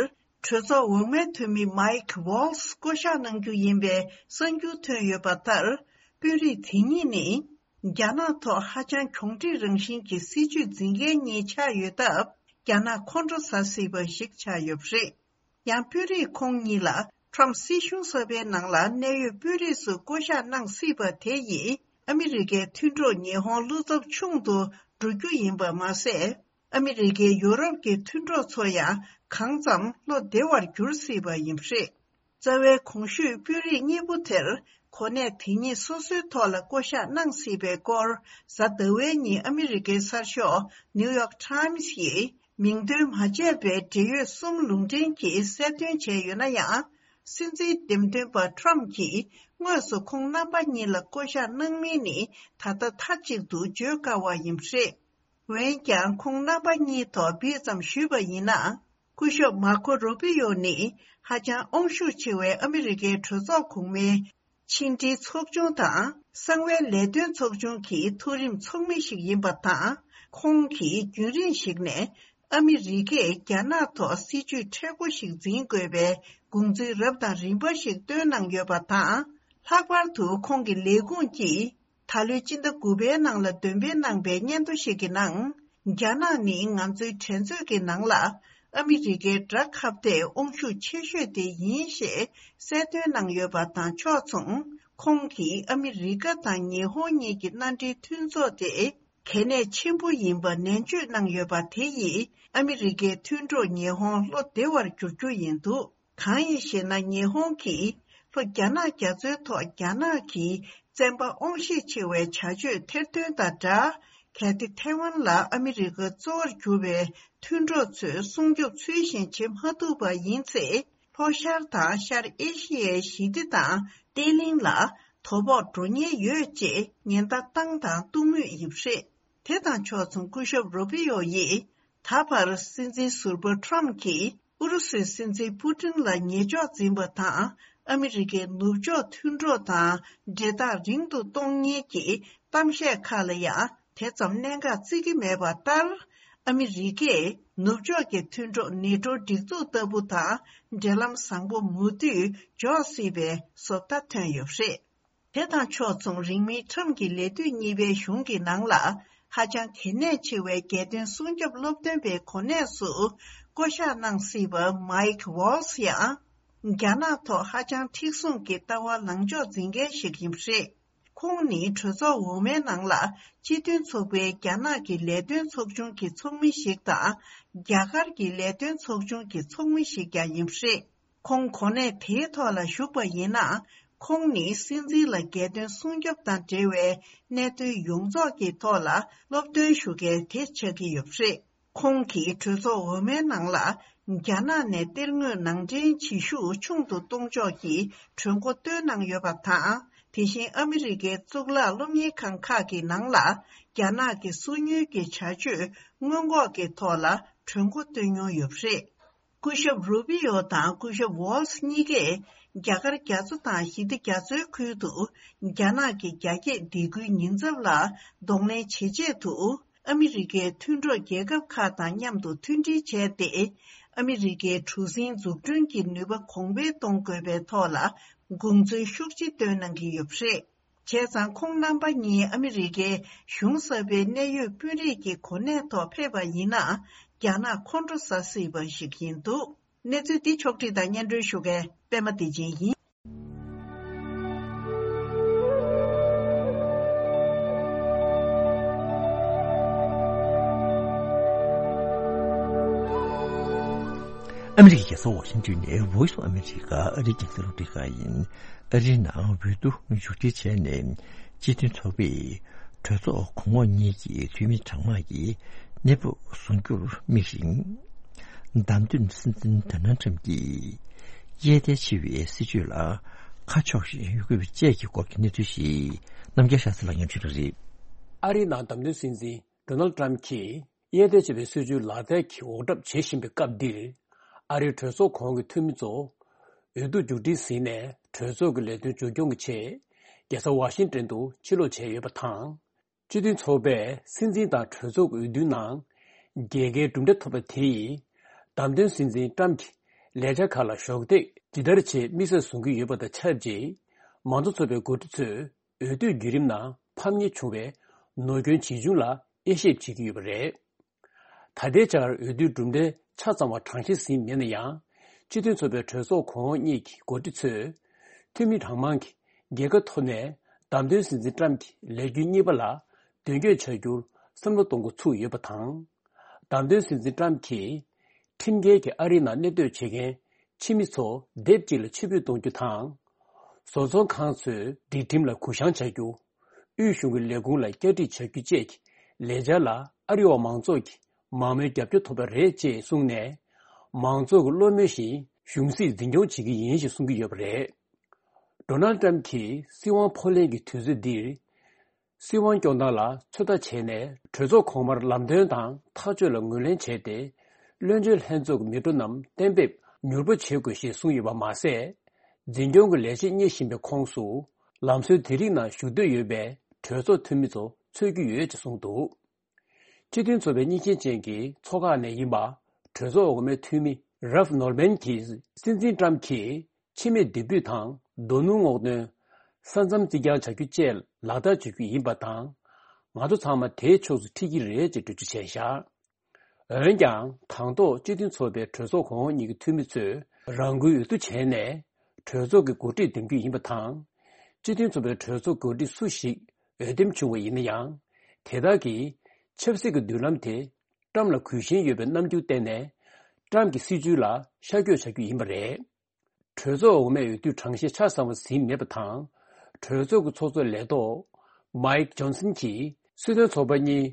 གྲོས་ཚོགས་འོག་མའི་འཐུས་མི་མའིག་ཝོལ་སི་བསྐོ་གཞག་གནང་རྒྱུ་ཡིན་པའི་གསར་འགྱུར་ཐོན་ཡོད་པ་ལྟར། དཔོན་རིགས་དེ་གཉིས་ནི། རྒྱ་ནག་ཐོག་ཧ་ཅང་གྱོང་འདྲིས་རང་བཞིན་གྱི་སྲིད་ཇུས་འཛིན་མཁན་གཉིས་ཆགས་ཡོད་སྟབས། རྒྱ་ནག་ཁོང་ཁྲོ་ཟ་སྲིད་པ་ཞིག་ཆགས་ཡོད་པ་རེད། ཡང་དཔོན་རིགས་ཁོང་གཉིས་ལ་ཁྲོམ་སྲིད་གཞུང་གསར་པའི་ནང་ལ་གནད་ཡོད་དཔོན་རིགས་སུ་བསྐོ་གཞག་གནང་སྲིད་པ་དེ་ཡིས་ཨ་མི་རི་ཀའི་མཐུན་གྲོགས་ཉི་ཧོང་བློ་འཚབ་ཆུང་དུ་འགྲོ་རྒྱུ་ཡིན་པ་མ་ཟད། ཨ་མི་རི་ཀའི་ཡོ་རོབ་ཀྱི་མཐུན་གྲོགས་ཚོ་ཡང་གང་འཚམ་བློ་བདེ་བར་འགྱུར་སྲིད་པ་ཡིན་པ་རེད། རྩ་བའི་གོང་ཞུས་དཔོན་རིགས་གཉིས་པོ་དེར་གོ་གནས་དེ་གཉིས་སོ་སོའི་ཐོག་ལ་བསྐོ་གཞག་གནང་སྲིད་པའི་སྐོར་གཟའ་ཟླ་བའི་ཉིན་ཨ་མི་རི་ཀའི་གསར་ཤོག་New York Times་ཡིས་མིང་འདོན་མ་བྱས་པའི་འབྲེལ་ཡོད་གསུམ་ལུང་འདྲེན་གྱིས་གསལ་སྟོན་བྱས་ཡོད་ན་ཡང་། སྲིད་འཛིན་འདེམས་ཐོན་པ་ཁྲོམ་གྱིས་དངོས་སུ་ཁོང་རྣམ་པ་གཉིས་ལ་བསྐོ་གཞག་གནང་མིན་ནི་ད་ལྟ་མཐའ་གཅིག་ཏུ་བརྗོད་དཀའ་བ་ཡིན་པ་རེད། འོན་ཀྱང་ཁོང་རྣམ་པ་གཉིས་ཐོག་འབིས་ཙམ་ཞུས་པ་ཡིན་ན། སྐུ་ཞབས་མར་ཁོ་རུ་པི་ཡོ་ནི་ཧ་ཅང་དབང་ཤུགས་ཆེ་བའི་ཨ་མི་རི་ཀའི་གྲོས་ཚོགས་གོང་མའི་ཕྱི་འབྲེལ་ཚོགས་ཆུང་དང་གསང་བའི་ལས་དོན་ཚོགས་ཆུང་གི་མཐོ་རིམ་ཚོགས་མི་ཞིག་ཡིན་པ་དང་། ཁོང་གིས་རྒྱུན་རིང་ཞིག་ནས་ཨ་མི་རི་ཀས་རྒྱ་ནག་ཐོག་སྲིད་ཇུས་མཁྲེགས་པོ་ཞིག་འཛིན་དགོས་པའི་དགོངས་ཚུལ་རབ་དང་རིམ་པ་ཞིག་བཏོན་གནང་ཡོད་པ་དང་། ལྷག་པར་དུ་ཁོང་གི་ལས་ཁུངས་ཀྱིས། ད་ལོའི་སྤྱི་ཟླ་དགུ་པའི་ནང་ལ་འདོན་སྤེལ་གནང་པའི་སྙན་ཐོ་ཞིག་གི་ནང་། རྒྱ་ནག་ནི་ང་ཚོའི་འགྲན་རྩོད་ཀྱི་ནང་ལ་ཨ་མི་རི་ཀའི་དགྲ་ཁ་གཏད་དབང་ཤུགས་ཆེ་ཤོས་དེ་ཡིན་ཞེས་གསལ་སྟོན་གནང་ཡོད་པ་དང་ཕྱོགས་མཚུངས། ཁོང་གིས་ཨ་མི་རི་ཀ་དང་ཉི་ཧོང་གཉིས་ཀྱི་མནའ་འབྲེལ་མཐུན་ཚོགས་དེ་གལ་གནད་ཆེན་པོ་ཡིན་པ་ནན་བརྗོད་གནང་ཡོད་པ་དེ་ཡིས་ཨ་མི་རི་ཀའི་མཐུན་གྲོགས་ཉི་ཧོང་བློ་བདེ་བར་འགྱུར་རྒྱུ་ཡིན་འདུག། གང་ཡིན་ཞེ་ན། ཉི་ཧོང་གིས་ལྷོ་རྒྱ་ནག་རྒྱ་མཚོའི་ཐོག་རྒྱ་ནག་གི་བཙན་པ་དབང་ཤེད་ཆེ་བའི་བྱ་སྤྱོད་ཐེར་འདོན་དང་སྦྲགས། གལ་ཏེ་ཐའེ་ཝན་ལ་ཨ་མི་རི་ཀ་གཙོ་བོར་གྱུར་པའི་མཐུན་གྲོགས་ཚོས་སྲུང་སྐྱོབ་ཚུལ་བཞིན་བྱེད་མ་ཐུབ་པ་ཡིན་ཚེ། ལྷོ་ཤར་དང་ཤར་ཨེ་ཤི་ཡའི་ཞི་བདེ་དང་བརྟན་ལྷིང་ལ་དོ་ཕོག་འགྲོ་ཉེན་ཡོད་ཅེས་ཉེན་བརྡ་བཏང་དང་གཏོང་མུས་ཡིན་པ་རེད། དེ་དང་ཕྱོགས་མཚུངས། སྐུ་ཞབས་རུ་པི་ཡོ་ཡིས། ད་བར་སྲིད་འཛིན་ཟུར་པ་ཁྲོམ་གྱིས་ཨུ་རུ་སུའི་སྲིད་འཛིན་པུ་ཏིན་ལ་ཉེས་འཇོག་འཛིན་པ་དང་། ཨ་མི་རི་ཀའི་ནུབ་ཕྱོགས་མཐུན་གྲོགས་དང་འབྲེལ་ཐག་རིང་དུ་གཏོང་མཁན་གྱི་གཏམ་བཤད་ཁག་ལ་ཡང་དེ་ཙམ་གནད་འགག་བརྩི་གི་མེད་པ་ལྟར། ཨ་མི་རི་ཀས་ནུབ་ཕྱོགས་ཀྱི་མཐུན་གྲོགས་ནེ་ཊོ་སྒྲིག་འཛུགས་ལྟ་བུ་དང་འབྲེལ་ལམ་བཟང་པོ་མུ་མཐུད་འཇོག་སྲིད་པའི་བཟོ་ལྟ་ཐོན་ཡོད་པ་རེད། དེ་དང་ཕྱོགས་མཚུངས། རིང་མིན་ཁྲམ་གྱི་ལས་དུས་གཉིས་པའི་གཞུང་གི་ནང་ལ་ཧ་ཅང་གལ་གནད་ཆེ་བའི་རྒྱལ་དོན་སྲུང་སྐྱོབ་སློབ་སྟོན་པའི་གོ་གནས་སུ་བསྐོ་གཞག་གནང་སྲིད་པ་མའིག་ཝོལ་སི་ཡང་རྒྱ་ནག་ཐོག་ཧ་ཅང་མཁྲེགས་བཟུང་གི་ལྟ་བ་ལངས་ཕྱོགས་འཛིན་མཁན་ཞིག་ཡིན་པ་རེད། ཁོང་ནི་གྲོས་ཚོགས་འོག་མའི་ནང་ལ་སྤྱི་མཐུན་ཚོགས་པའི་རྒྱ་ནག་གི་ལས་དོན་ཚོགས་ཆུང་གི་ཚོགས་མི་ཞིག་དང་། རྒྱ་གར་གྱི་ལས་དོན་ཚོགས་ཆུང་གི་ཚོགས་མི་ཞིག་ཀྱང་ཡིན་པ་རེད། ཁོང་གོ་གནས་དེའི་ཐོག་ལ་བཞུགས་པ་ཡིན་ན། ཁོང་ནི་སྲིད་འཛིན་ལ་རྒྱལ་དོན་སྲུང་སྐྱོབ་དང་འབྲེལ་བའི་གནད་དོན་ཡོངས་རྫོགས་ཀྱི་ཐོག་ལ་སློབ་སྟོན་ཞུ་མཁན་དེ་ཆགས་ཀྱི་ཡོད་པ་རེད། ཁོང་གིས་གྲོས་ཚོགས་འོག་མའི་ནང་ལ་རྒྱ་ནག་ནས་གཏེར་དངོས་ནང་འདྲེན་བྱེད་ཤུགས་ཆུང་དུ་གཏོང་ཕྱོགས་ཀྱི་གྲོས་འགོ་བཏོན་གནང་ཡོད་པ་དང་། དེ་བཞིན་ཨ་མི་རི་ཀའི་གཙུག་ལག་སློབ་གཉེར་ཁང་ཁག་གི་ནང་ལ་རྒྱ་ནག་གི་སོ་ཉུལ་གྱི་བྱ་སྤྱོད་སྔོན་འགོག་གི་ཐོག་ལ་གྲོས་འགོ་བཏོན་མྱོང་ཡོད་པ་རེད། སྐུ་ཞབས་རུ་པི་ཡོ་དང་སྐུ་ཞབས་ཝོལ་སི་གཉིས་ཀས་རྒྱ་གར་རྒྱ་མཚོ་དང་ཞི་བདེ་རྒྱ་མཚོའི་ཁུལ་དུ་རྒྱ་ནག་གི་རྒྱ་སྐྱེད་སྡེ་ཁུལ་ཉེན་ཚབས་ལ་གདོང་ལེན་བྱེད་ཆེད་དུ། ཨ་མི་རི་ཀའི་མཐུན་གྲོགས་རྒྱལ་ཁབ་ཁག་དང་མཉམ་དུ་མཐུན་སྒྲིལ་བྱས་ཏེ། ཨ་མི་རི་ཀའི་གྲུ་གཟིངས་འཛུགས་སྐྲུན་གྱི་ནུས་པ་གོང་འཕེལ་གཏོང་དགོས་པའི་ཐོག་ལ་དགོངས་ཚུལ་ཤུགས་ཆེ་བཏོན་གནང་གི་ཡོད་པ་རེད། བྱས་ཙང་ཁོང་རྣམ་པ་གཉིས་ཨ་མི་རི་ཀའི་གཞུང་གསར་པའི་གནད་ཡོད་དཔོན་རིགས་ཀྱི་གོ་གནས་ཐོག་ཕེབས་པ་ཡིན་ན། རྒྱ་ནག་ཁོང་ཁྲོ་ཟ་སྲིད་པ་ཞིག་ཡིན་འདུག། གནས་ཚུལ་འདི་ཕྱོགས་བསྒྲིགས་དང་སྙན་སྒྲོན་ཞུ་མཁན་པད་མ་བདེ་ཆེན་ཡིན། ཨ་མི་རི་ཀའི་རྒྱལ་ས་ཝ་ཤིང་ཏོན་ནས་Voice of America ཨ་རིའི་རྒྱང་སྲིང་རླུང་འཕྲིན་ཁང་ཡིན། ཨ་རིའི་ནང་འོས་བསྡུ་མཇུག་སྒྲིལ་བྱས་ནས་སྤྱི་མཐུན་ཚོགས་པས་གྲོས་ཚོགས་གོང་འོག་གཉིས་ཀྱི་འཐུས་མི་གྲངས་མང་གིས་གནས་བབ་བཟུང་རྒྱུར་དམིགས་ཤིང་། བདམས་ཐོན་སྲིད་འཛིན་ཌོ་ནལ་ཊམ་གྱིས་གཡས་ཐལ་ཆེ་བའི་སྲིད་བྱུས་ལ་ཁ་ཕྱོགས་ཤིང་ཡོད་དགོས་པ་བཅས་ཀྱི་སྐོར་གྱི་གནས་ཚུལ་ཞིག་རྣམ་རྒྱལ་ཤཱ་ཚ་ལགས་སྙན་ཞུ་གནང་རེད། ཨ་རིའི་ནང་བདམས་ཐོན་སྲིད་འཛིན་ཌོ་ནལ་ཊམ་གྱིས་གཡས་ཐལ་ཆེ་བའི་སྲིད་བྱུས་ལག་རྩལ་གྱིས་འོག་གྲབས་བྱེད་བཞིན་པའི་སྐབས་འདིར། ཨ་རིའི་གྲོས་ཚོགས་གོང་གི་འཐུས་མི་ཚོ་འོས་བསྡུ་མཇུག་སྒྲིལ་ཟིན་ནས་གྲོས་ཚོགས་ཀྱི་ལས་དོན་མཇུག་སྐྱོང་གི་ཆེད་རྒྱལ་ས་ཝ་ཤིང་ཏོན་དུ་ཕྱིར་ལོག་བྱས་ཡོད་པ་དང་། སྤྱི་མཐུན་ཚོགས་པས་སྲིད་འཛིན་དང་གྲོས་ཚོགས་ཀྱི་འོས་བསྡུའི་ནང་རྒྱལ་ཁའི་གྲུབ་འབྲས་ཐོབ་པ་དེ་ཡིས་བདམས་ཐོན་སྲིད་འཛིན་ཊམ་གྱི་ལས་འཆར་ཁག་ལ་གཞོགས་འདེགས་ཇི་ལྟར་བྱེད་དམིགས་བསལ་བཟུང་གི་ཡོད་པ་དང་ཆབས་ཅིག་མང་གཙོ་ཚོགས་པའི་འགོ་ཁྲིད་ཚོས་ འོས་བསྡུའི་བརྒྱུད་རིམ་ནང་ཕམ་ཉེས་བྱུང་བའི་ནོར་སྐྱོན་ཇི་བྱུང་ལ་དབྱེ་ཞིབ་བྱེད་ཀྱི་ཡོད་པ་རེད། ད་ལྟའི་ཆར་འོས་བསྡུའི་གྲུབ་འབྲས་ཆ་ཚང་བ་གྲངས་བཤེར་ཟིན་མེད་ན་ཡང་། སྤྱི་མཐུན་ཚོགས་པའི་གྲོས་ཚོགས་གོང་འོག་གཉིས་ཀྱི་འགོ་ཁྲིད་ཚོས་འཐུས་མི་གྲངས་མང་གིས་རྒྱལ་ཁ་ཐོབ་ནས་བདམས་ཐོན་སྲིད་འཛིན་ཏྲམ་གྱི་ལས་རྒྱུན་གཉིས་པ་ལ་མདུན་སྐྱོད་བྱ་རྒྱུར་བསམ་བློ་གཏོང་འགོ་ཚུགས་ཡོད་པ་དང་། བདམས་ཐོན་སྲིད་འཛིན་ཏྲམ་གྱིས་ཁྲིམས་འགལ་གྱིས་ཨ་རིའི་ནང་གནས་སྡོད་བྱེད་མཁན་ཕྱི་མི་ཚོ་སྡེབ་གཅིག་ལ་ཕྱིར་འབུད་གཏོང་རྒྱུ་དང་། བཟོ་ཚོང་ཁང་ཚོས་སྒྲིག་ཁྲིམས་ལ་གུ་བཤངས་བྱ་རྒྱུ། དབུས་གཞུང་གི་ལས་ཁུངས་ལ་བསྐྱར་སྒྲིག་བྱ་རྒྱུ་བཅས་ཀྱི་ལས་འཆར་ལ་ཨ་རི་བ་མང་ཚོགས་ཀྱིས་མང་མོས་རྒྱབ་སྐྱོར་ཐོབ་པ་རེད་ཅེས་གསུངས་ནས། མང་ཚོགས་ཀྱི་བློ་མོས་བཞིན་གཞུང་སྲིད་འཛིན་སྐྱོང་བྱེད་ཀྱི་ཡིན་ཞེས་གསུང་གི་ཡོད་པ་རེད། ཌོ་ནལ་ཏྲམ་གྱིས་སྲིད་དབང་ཕོག་ལེན་གྱི་དུས་ཚོད་འདིར། སྲིད་དབང་སྐྱོང་སྟངས་ལ་ཚོད་ལྟ་བྱས་ནས། གྲོས་ཚོགས་གོང་མར་ལམ་སྟོན་དང་ཐག་གཅོད་ལ་ངོས་ལེན་བྱས་ཏེ། བློན་ཆེན་ལྷན་ཚོགས་ཀྱི་མི་འགྲོ་རྣམས་གཏན་འབེབས་མྱུར་པོ་བྱེད་དགོས་ཞེས་གསུངས་ཡོད་པ་མ་ཟད། འཛིན་སྐྱོང་གི་ལས་བྱེད་གཉེར་བཞིན་པའི་ཁོངས་སུ། ལམ་སྲོལ་དེ་རིགས་ནང་ཞུགས་འདོད་ཡོད་པའི་གྲོས་ཚོགས་འཐུས་མི་ཚོ་འཚོལ་གྱི་ཡོད་ཅེས་གསུངས་འདུག་སྤྱི་མཐུན་ཚོགས་པའི་གཉིས་ཆེན་ཅན་གྱི་ཚོགས་ཁག་ནས་ཡིན་པ། གྲོས་ཚོགས་འོག་མའི་འཐུས་མི་རབ་ནོར་མན་གྱིས་སྲིད་འཛིན་ཏྲམ་གྱིས། ཕྱི་མིས་འདེད་འབུད་དང་རྡོ་སྣུམ་སྔོག་འདོན། ས་མཚམས་རྩིག་གྱང་བྱ་རྒྱུ་བཅས་ལག་བསྟར་བྱེད་རྒྱུ་ཡིན་པ་དང་། ང་ཚོ་ཚང་མ་དེའི་ཕྱོགས་སུ་ཁྲིད་ཀྱི་རེད་ཅེས་འགྲེལ་བརྗོད་བྱས་བཞག་འོན་ཀྱང་། དང་ཐོག་སྤྱི་མཐུན་ཚོགས་པའི་གྲོས་ཚོགས་གོང་འོག་གཉིས་ཀྱི་འཐུས་མི་ཚོས་རང་འགུལ་འོས་བསྡུ་བྱས་ནས་གྲོས་ཚོགས་ཀྱི་འགོ་ཁྲིད་འདེམས་རྒྱུ་ཡིན་པ་དང་། སྤྱི་མཐུན་ཚོགས་པའི་གྲོས་ཚོགས་འགོ་ཁྲིད་སུ་ཞིག་འོས་འདེམས་བྱུང་བ་ཡིན་ན་ཡང་། དེ་དག་གིས་ཆབ་སྲིད་ཀྱི་མདུན་ལམ་དེ་ཏྲམ་ལ་གུས་ཞེན་ཡོད་པའི་རྣམ་འགྱུར་བསྟན་ནས། ཏྲམ་གྱི་སྲིད་བྱུས་ལ་ཤར་བསྐྱོད་བྱ་རྒྱུ་ཡིན་པ་རེད། གྲོས་ཚོགས་འོག་མའི་འོས་བསྡུ་གྲངས་བཤེར་ཆ་ཚང་བ་ཟིན་མེད་པ་དང་། གྲོས་ཚོགས་ཀྱི་ཚོགས་གཙོ་ལས་ཐོག་མཱིག་ཇོན་སན་གྱིས་སྲིད་དོན་ཚོགས་པ་གཉིས་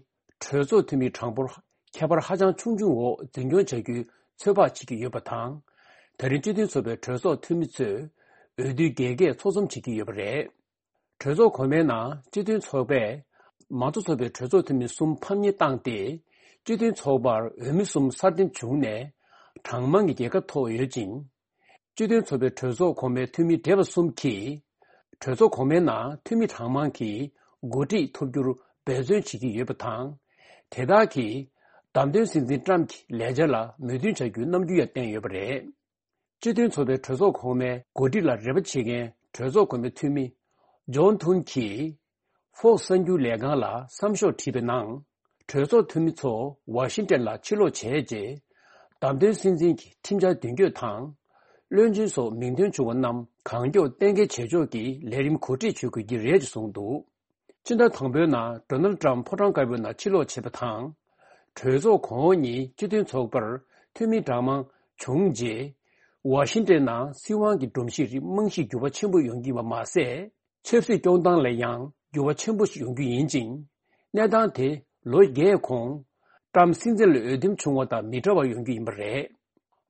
གྲོས་ཚོགས་འཐུས་མི་གྲངས་འབོར་ཁྱད་པར་ཧ་ཅང་ཆུང་ཆུང་འོག་འཛིན་སྐྱོང་བྱ་རྒྱུའི་ཚོད་དཔག་བྱེད་ཀྱི་ཡོད་པ་དང་། ད་རིང་སྤྱི་མཐུན་ཚོགས་པའི་གྲོས་ཚོགས་འཐུས་མི་ཚོས་འོས་བསྡུའི་རྒྱལ་ཁའི་ཚོགས་འཛོམས་བྱེད་ཀྱི་ཡོད་པ་རེད། གྲོས་ཚོགས་གོང་མའི་ནང་སྤྱི་མཐུན་ཚོགས་པས་མང་གཙོ་ཚོགས་པའི་གྲོས་ཚོགས་འཐུས་མི་གསུམ་ཕམ་ཉེས་བཏང་སྟེ། སྤྱི་མཐུན་ཚོགས་པར་འོས་མི་གསུམ་གསར་འདེམས་བྱུང་ནས་གྲངས་མང་གི་རྒྱལ་ཁ་ཐོབ་ཡོད་ཅིང་། སྤྱི་མཐུན་ཚོགས་པའི་གྲོས་ཚོགས་གོང་མའི་འཐུས་མི་བགྲེས་པ་གསུམ་གྱིས། གྲོས་ཚོགས་གོང་མའི་ནང་འཐུས་མི་གྲངས་མང་གིས་འགོ་ཁྲིད་ཐོབ་རྒྱུར་འབད་བརྩོན་བྱེད་ཀྱི་ཡོད་པ་དང་། དེ་དག་གིས་བདམས་ཐོན་སྲིད་འཛིན་ཏྲམ་གྱི་ལས་འཆར་ལ་མོས་མཐུན་བྱ་རྒྱུའི་རྣམ་འགྱུར་ཡང་བསྟན་ཡོད་པ་རེད། སྤྱི་མཐུན་ཚོགས་པའི་གྲོས་ཚོགས་གོང་མའི་འགོ་ཁྲིད་ལ་རེ་བ་བྱེད་མཁན་གྲོས་ཚོགས་གོང་མའི་འཐུས་མི་ཇོན་ཐུན་གྱིས་ཧྥོག་གསར་འགྱུར་ལས་ཁང་ལ་བསམ་ཤོག་བྲིས་པའི་ནང་། གྲོས་ཚོགས་འཐུས་མི་ཚོ་ཝ་ཤིང་ཏན་ལ་ཕྱིར་ལོག་བྱས་རྗེས། བདམས་ཐོན་སྲིད་འཛིན་གྱི་ཁྲིམས་འཆར་མདུན་སྐྱོད་དང་། བློན་ཆེན་སོགས་མིང་འདོན་བྱུང་བ་རྣམས་གང་མགྱོགས་གཏན་འཁེལ་བྱེད་ཕྱོགས་ཀྱི་ལས་རིམ་གོ་སྒྲིག་བྱེད་དགོས་ཀྱི་རེད་ཅེས་གསུངས་འདུག་སྤྱི་ཟླ་དང་པོའི་ནང་ཌོ་ནལ་ཏྲམ་ཕོ་བྲང་དཀར་པོའི་ནང་ཕྱིར་ལོག་བྱས་པ་དང་། གྲོས་ཚོགས་གོང་འོག་གཉིས་སྤྱི་མཐུན་ཚོགས་པར་འཐུས་མི་གྲངས་མང་བྱུང་རྗེས། ཝ་ཤིང་ཏན་ནང་སྲིད་དབང་གི་སྒྲོམ་གཞི་རིགས་རྨང་གཞི་འགྱུར་བ་ཆེན་པོ་ཡོང་གི་ཡིན་པ་མ་ཟད། ཆབ་སྲིད་སྐྱོང་སྟངས་ལ་ཡང་འགྱུར་བ་ཆེན་པོ་ཞིག་ཡོང་རྒྱུ་ཡིན་ཅིང་། གནས་སྟངས་དེ་ལོ་བརྒྱད་གོང་ཏྲམ་སྲིད་འཛིན་ལ་འོས་འདེམས་བྱུང་བ་དང་མི་འདྲ་བ་ཡོང་རྒྱུ་ཡིན་པ་རེད།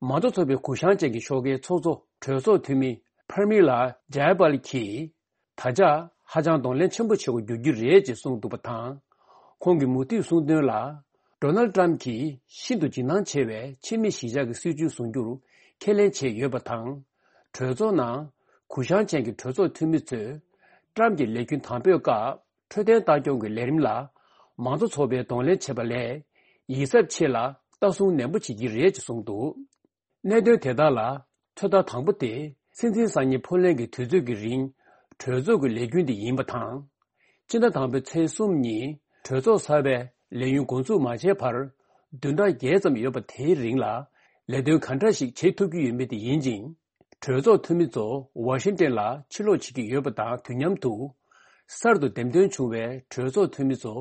མང་གཙོ་ཚོགས་པའི་གུ་བཤངས་ཅན་གྱི་ཤོག་ཁའི་ཚོགས་གཙོ་གྲོས་ཚོགས་འཐུས་མི་པར་མི་ལ་ཇའི་པཱལ་གྱིས། ད་ཆ་ཧ་ཅང་གདོང་ལེན་ཆེན་པོ་བྱེད་དགོས་འགྱུར་གྱི་རེད་ཅེས་གསུངས་འདུག་པ་དང་། ཁོང་གིས་མུ་མཐུད་གསུངས་དོན་ལ། ཌོ་ནལ་ཏྲམ་གྱིས་ཤིན་ཏུ་འཇིགས་སྣང་ཆེ་བའི་ཕྱི་མི་གཞིས་ཆགས་ཀྱི་སྲིད་བྱུས་བཟུང་རྒྱུར་ཁས་ལེན་བྱས་ཡོད་པ་དང་། གྲོས་ཚོགས་ནང་གུ་བཤངས་ཅན་གྱི་གྲོས་ཚོགས་འཐུས་མི་ཚོས་ཏྲམ་གྱི་ལས་རྒྱུན་དམ་སྤོའི་སྐབས་འཕྲོད་བསྟེན་ལྟ་སྐྱོང་གི་ལས་རིམ་ལ་མང་གཙོ་ཚོགས་པས་གདོང་ལེན་བྱེད་པ་ལས་ཡིད་གཟབ་ཆེ་ལ་ལྟ་སྲུང་ནན་པོ་བྱེད་ཀྱི་རེད་ཅེས་གསུངས་འདུག་གནད་དོན་དེ་དག་ལ་ཚོད་ལྟ་དང་པོ་དེ་སྲིད་འཛིན་སང་ཉིན་ཕོགས་ལེན་གྱི་དུས་ཚོད་ཀྱི་རིང་གྲོས་ཚོགས་ཀྱི་ལས་རྒྱུན་དེ་ཡིན་པ་དང་། སྤྱི་ཟླ་དང་པོའི་ཚེས་གསུམ་ཉིན་གྲོས་ཚོགས་གསར་པའི་ལས་ཡུན་འགོ་འཛུགས་མ་བྱས་བར་བདུན་ཕྲག་བརྒྱད་ཙམ་ཡོད་པ་དེའི་རིང་ལ་ལས་དོན་ག་འདྲ་ཞིག་བྱེད་ཐུབ་ཀྱི་ཡོད་མེད་དེ་ཡིན་ཅིང་། གྲོས་ཚོགས་འཐུས་མི་ཚོ་ཝ་ཤིང་ཏན་ལ་ཕྱིར་ལོག་བྱེད་ཀྱི་ཡོད་པ་དང་དུས་མཉམ་དུ། གསར་དུ་འདེམས་ཐོན་བྱུང་བའི་གྲོས་ཚོགས་འཐུས་མི་ཚོ་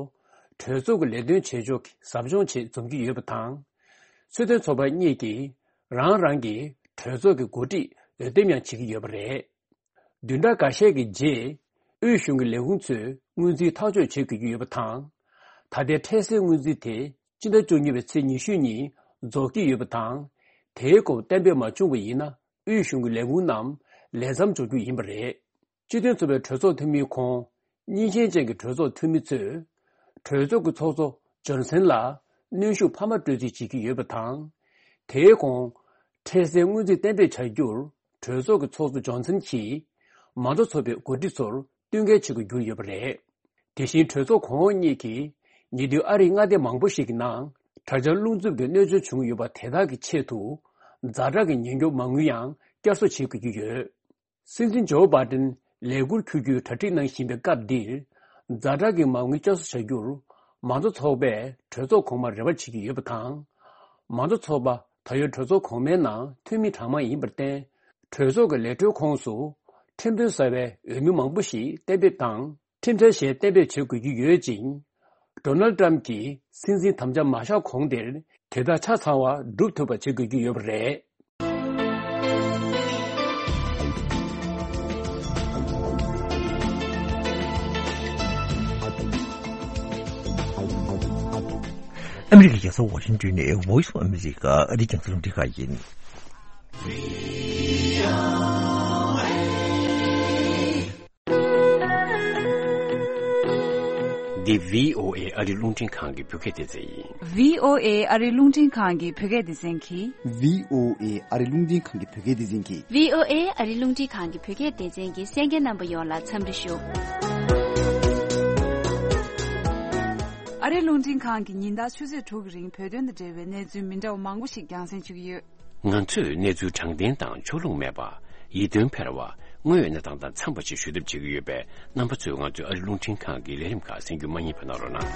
གྲོས་ཚོགས་ཀྱི་ལས་དོན་བྱེད་ཕྱོགས་ཀྱི་ཟབ་སྦྱོང་ཆེད་འཛོམས་ཀྱི་ཡོད་པ་དང་། སྲིད་དོན་ཚོགས་པ་གཉིས་ཀྱིས་རང་རང་གི་གྲོས་ཚོགས་ཀྱི་འགོ་ཁྲིད་འོས་འདེམས་ཡང་བྱེད་ཀྱི་ཡོད་པ་རེད། བདུན་ཕྲག་འགའ་ཤས་ཀྱི་རྗེས་དབུས་གཞུང་གི་ལས་ཁུངས་ཚོས་སྔོན་རྩིས་ཐག་གཅོད་བྱེད་དགོས་ཀྱི་ཡོད་པ་དང་། ད་ལྟའི་འཕྲལ་སེལ་སྔོན་རྩིས་དེ་སྤྱི་ཟླ་བཅུ་གཉིས་པའི་ཚེས་ཉི་ཤུ་ཉིན་རྫོགས་ཀྱི་ཡོད་པ་དང་། དེའི་སྐོར་གཏན་འབེབས་མ་བྱུང་བ་ཡིན་ན། དབུས་གཞུང་གི་ལས་ཁུངས་རྣམས་ལས་མཚམས་འཇོག་རྒྱུ་ཡིན་པ་རེད། སྤྱི་མཐུན་ཚོགས་པའི་གྲོས་ཚོགས་འཐུས་མི་ཁོང་། གཉིས་ཆེན་ཅན་གྱི་གྲོས་ཚོགས་འཐུས་མི་ཚོས། གྲོས་ཚོགས་ཀྱི་ཚོགས་གཙོ་ཇོན་སན་ལ་གནོན་ཤུགས་འཕར་མ་སྤྲོད་རྩིས་བྱེད་ཀྱི་ཡོད་པ་དང་། དེའི་གོང་། འཕྲལ་སེལ་སྔོན་རྩིས་གཏན་འབེབས་བྱ་རྒྱུར། གྲོས་ཚོགས་ཀྱི་ཚོགས་གཙོ་ཇོན་སན་གྱིས། མང་གཙོ་ཚོགས་པའི་འགོ་ཁྲིད་ཚོར་བསྟུན་མཁས་བྱེད་དགོས་གྱུར་ཡོད་པ་རེད། དེ་བཞིན་གྲོས་ཚོགས་གོང་འོག་གཉིས་ཀྱིས། ཉེ་དུས་ཨ་རིའི་མངའ་སྡེ་མང་པོ་ཞིག་གི་ནང་། དྲ་འབྱར་རླུང་འཚུབ་ཀྱི་གནོད་སྐྱོན་བྱུང་ཡོད་པ་དེ་དག་གི་ཆེད་དུ། ཛ་དྲག་གི་ཉེན་སྐྱོབ་མ་དངུལ་ཡང་བསྐྱར་གསོ་བྱེད་དགོས་ཀྱི་ཡོད། སྲིད་འཛིན་ཇོ་བྷ་ཏན་ ལས་འཁུར་འཁྱུར་རྒྱུའི་གྲ་སྒྲིག་གནང་བཞིན་པའི་སྐབས་འདིར། ཛ་དྲག་གི་མ་དངུལ་བསྐྱར་གསོ་བྱ་རྒྱུར། མང་གཙོ་ཚོགས་པས་གྲོས་ཚོགས་གོང་མར་རེ་བ་བྱེད་ཀྱི་ཡོད་པ་དང་། མང་གཙོ་ཚོགས་པ་ད་ཡོད་གྲོས་ཚོགས་གོང་མའི་ནང་འཐུས་མི་གྲངས་མང་ཡིན་པར་བརྟེན། གྲོས་ཚོགས་ཀྱི་ལས་འཕྲོའི་ཁོངས་སུ། ཁྲིམས་དོན་གསར་པའི་འོས་མི་མང་པོ་ཞིག་གཏན་འབེབས་དང་། ཁྲིམས་འཆར་གཞན་གཏན་འབེབས་བྱེད་དགོས་ཀྱི་ཡོད་ཅིང་། ཌོ་ནལ་ཏྲམ་གྱིས་སྲིད་འཛིན་དམ་བཅའ་མ་བཞག་གོང་དེར་དེ་དག་ཆ་ཚང་བ་སྒྲུབ་ཐུབ་པ་བྱེད་དགོས་ཀྱི་ཡོད་པ་རེད། ཨ་མི་རི་ཀའི་རྒྱལ་ས་ཝ་ཤིང་ཏོན་ནས་Voice of America ཨ་རིའི་རྒྱང་སྲིང་རླུང་འཕྲིན་ཁང་ཡིན། འདི་བྷི་ཨོ་ཨེ་ཨ་རིའི་རླུང་འཕྲིན་ཁང་གི་བོད་སྐད་སྡེ་ཚན་ཡིན། བྷི་ཨོ་ཨེ་ཨ་རིའི་རླུང་འཕྲིན་ཁང་གི་བོད་སྐད་སྡེ་ཚན་གྱིས། བྷི་ཨོ་ཨེ་ཨ་རིའི་རླུང་འཕྲིན་ཁང་གི་བོད་སྐད་སྡེ་ཚན་གྱིས། བྷི་ཨོ་ཨེ་ཨ་རིའི་རླུང་འཕྲིན་ཁང་གི་བོད་སྐད་སྡེ་ཚན་གྱི་གསན་མཁན་རྣམ་པ་ཡོངས་ལ་འཚམས་འདྲི་ཞུ། ཨ་རིའི་རླུང་འཕྲིན་ཁང་གིས་ཉིན་ལྟར་ཆུ་ཚོད་དྲུག་གི་རིང་བོད་དོན་དང་འབྲེལ་བའི་གནས་ཚུལ་མི་འདྲ་བ་མང་པོ་ཞིག་རྒྱང་སྲིང་ཞུ་གི་ཡོད། ང་ཚོས་གནས་ཚུལ་དྲང་བདེན་དང་ཕྱོགས་ལྷུང་མེད་པ། ཡིད་རྟོན་འཕེར་བ། དངོས་ཡོད་གནས་སྟངས་དང་འཚམས་པ་ཞིག་ཞུ་ཐབས་བྱེད་ཀྱི་ཡོད་པས། རྣམ་པ་ཚོས་ང་ཚོའི་ཨ་རིའི་རླུང་འཕྲིན་ཁང་གི་ལས་རིམ་ཁག་གསན་རྒྱུ་མ་བསྙེལ་བ་གནང་རོགས་གནང་།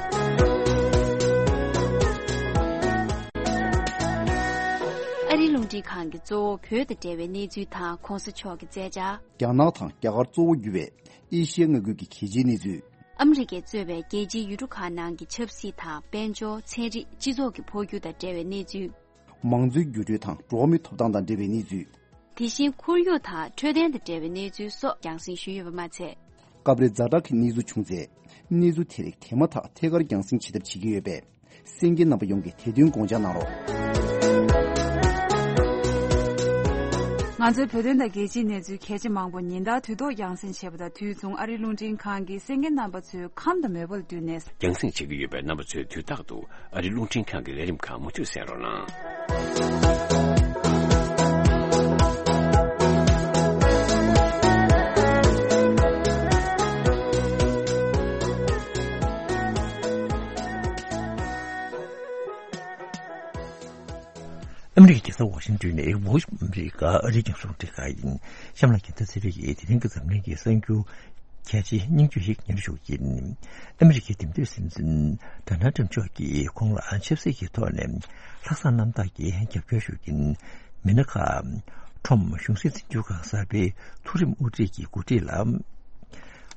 ཨ་རིའི་རླུང་འཕྲིན་ཁང་གིས་གཙོ་བོ་བོད་དང་འབྲེལ་བའི་གནས་ཚུལ་དང་གོང་ས་མཆོག་གི་མཛད་འཆར། རྒྱ་ནག་དང་རྒྱ་གར་གཙོ་བོ་གྱུར་བའི་ཨེ་ཤི་ཡ་མངའ་ཁུལ་གྱི་གལ་ཆེའི་གནས་ཚུལ། ཨ་མི་རི་ཀས་གཙོས་པའི་རྒྱལ་སྤྱིའི་ཡུལ་གྲུ་ཁག་ནང་གི་ཆབ་སྲིད་དང་དཔལ་འབྱོར། ཚན་རིག་སྤྱི་ཚོགས་ཀྱི་འཕོ་འགྱུར་དང་འབྲེལ་བའི་གནས་ཚུལ། མང་གཙོའི་འགྱུར་འགྲོས་དང་འགྲོ་བ་མིའི་ཐོབ་ཐང་དང་འབྲེལ་བའི་གནས་ཚུལ། དེ་བཞིན་ཁོར་ཡུག་དང་འཕྲོད་བསྟེན་དང་འབྲེལ་བའི་གནས་ཚུལ་སོགས་རྒྱང་སྲིང་ཞུས་ཡོད་པ་མ་ཚད། སྐབས་རེ་ཛ་དྲག་གི་གནས་ཚུལ་བྱུང་ཚེ། གནས་ཚུལ་དེ་རིགས་དེ་མ་ཐག་ཐད་ཀར་རྒྱང་སྲིང་བྱེད་ཐབས་བྱེད་ཀྱི་ཡོད་པས། གསན་མཁན་རྣམ་པ་ཡོངས་ཀྱིས་དེ་དོན་དགོངས་འཇགས་གནང་རོགས། ང་ཚོའི་བོད་དོན་དང་རྒྱལ་སྤྱིའི་གནས་ཚུལ་གལ་ཆེ་མང་པོ་ཉིན་ལྟར་དུས་ཐོག་རྒྱང་སྲིང་བྱེད་པ་དང་། དུས་མཚུངས་ཨ་རིའི་རླུང་འཕྲིན་ཁང་གིས་གསན་མཁན་རྣམ་པ་ཚོའི་ཁམས་དང་མོས་པ་ལ་བསྟུན་ནས། རྒྱང་སྲིང་བྱེད་ཀྱི་ཡོད་པས། རྣམ་པ་ཚོས་དུས་རྟག་ཏུ་ཨ་རིའི་རླུང་འཕྲིན་ཁང་གི་ལས་རིམ་ཁག་མུ་མཐུད་གསན་རོགས་གནང་། ཨ་མི་རི་ཀའི་རྒྱལ་ས་ཝ་ཤིང་ཏོན་ནས་Voice of America ཨ་རིའི་རྒྱང་སྲིང་རླུང་འཕྲིན་ཁང་ཡིན། གཤམ་ལ་རྒྱལ་མཚན་ཚེ་རིང་གིས་དེ་རིང་གི་འཛམ་གླིང་གི་གསར་འགྱུར་གལ་ཆེའི་སྙིང་བཅུད་ཞིག་སྙན་སྒྲོན་ཞུ་གི་ཡིན། ཨ་མི་རི་ཀའི་འདེམས་ཐོན་སྲིད་འཛིན་ཌོ་ནལ་ཊམ་མཆོག་གིས་ཁོང་ལ་ཆབ་སྲིད་ཀྱི་ཐོག་ནས་ལྷག་བསམ་རྣམ་དག་གིས་རྒྱབ་སྐྱོར་ཞུ་མཁན་མི་སྣ་ཁག་ཁྲོམ་གཞུང་སྲིད་འཛིན་སྐྱོར་ཁང་གསར་པའི་མཐོ་རིམ་དབུ་ཁྲིད་ཀྱི་འགོ་ཁྲིད་ལ།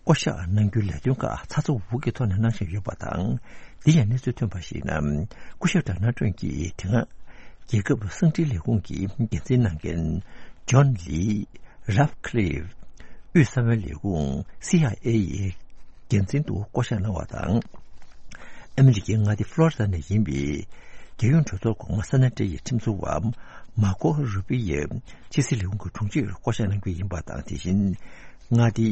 བསྐོ་གཞག་གནང་རྒྱུའི་ལས་དོན་ཁག་ཚ་ཚ་འུར་འུར་གྱི་ཐོག་ནས་གནང་བཞིན་ཡོད་པ་དང་། འདི་ཡང་གནས་ཚུལ་ཐོན་པར་གཞིགས་ན། སྐུ་ཞབས་ཌོ་ནལ་ཊམ་གྱིས་དེ་སྔ་རྒྱལ་ཁབ་གསང་འཕྲིན་ལས་ཁུངས་ཀྱི་འགན་འཛིན་གནང་མཁན་ཇོན་ལི་རཱབ་ཁི་ལིབ། དབུས་གསང་བའི་ལས་ཁུངས་སི་ཨའི་ཨེ་ཡི་འགན་འཛིན་དུ་བསྐོ་གཞག་གནང་བ་དང་། ཨ་མི་རི་ཀའི་མངའ་སྡེ་ཕློ་རི་ཌ་ནས་ཡིན་པའི་རྒྱལ་ཡོངས་གྲོས་ཚོགས་གོང་མ་སེ་ནེ་ཊི་ཡི་ཁྲིམས་བཟོ་བ་མར་ཁོ་རུ་པི་ཡི་ཕྱི་སྲིད་ལས་ཁུངས་ཀྱི་དྲུང་ཆེར་བསྐོ་གཞག་གནང་རྒྱུ་ཡིན་པ་དང་། དེ་བཞིན། མངའ་སྡེ་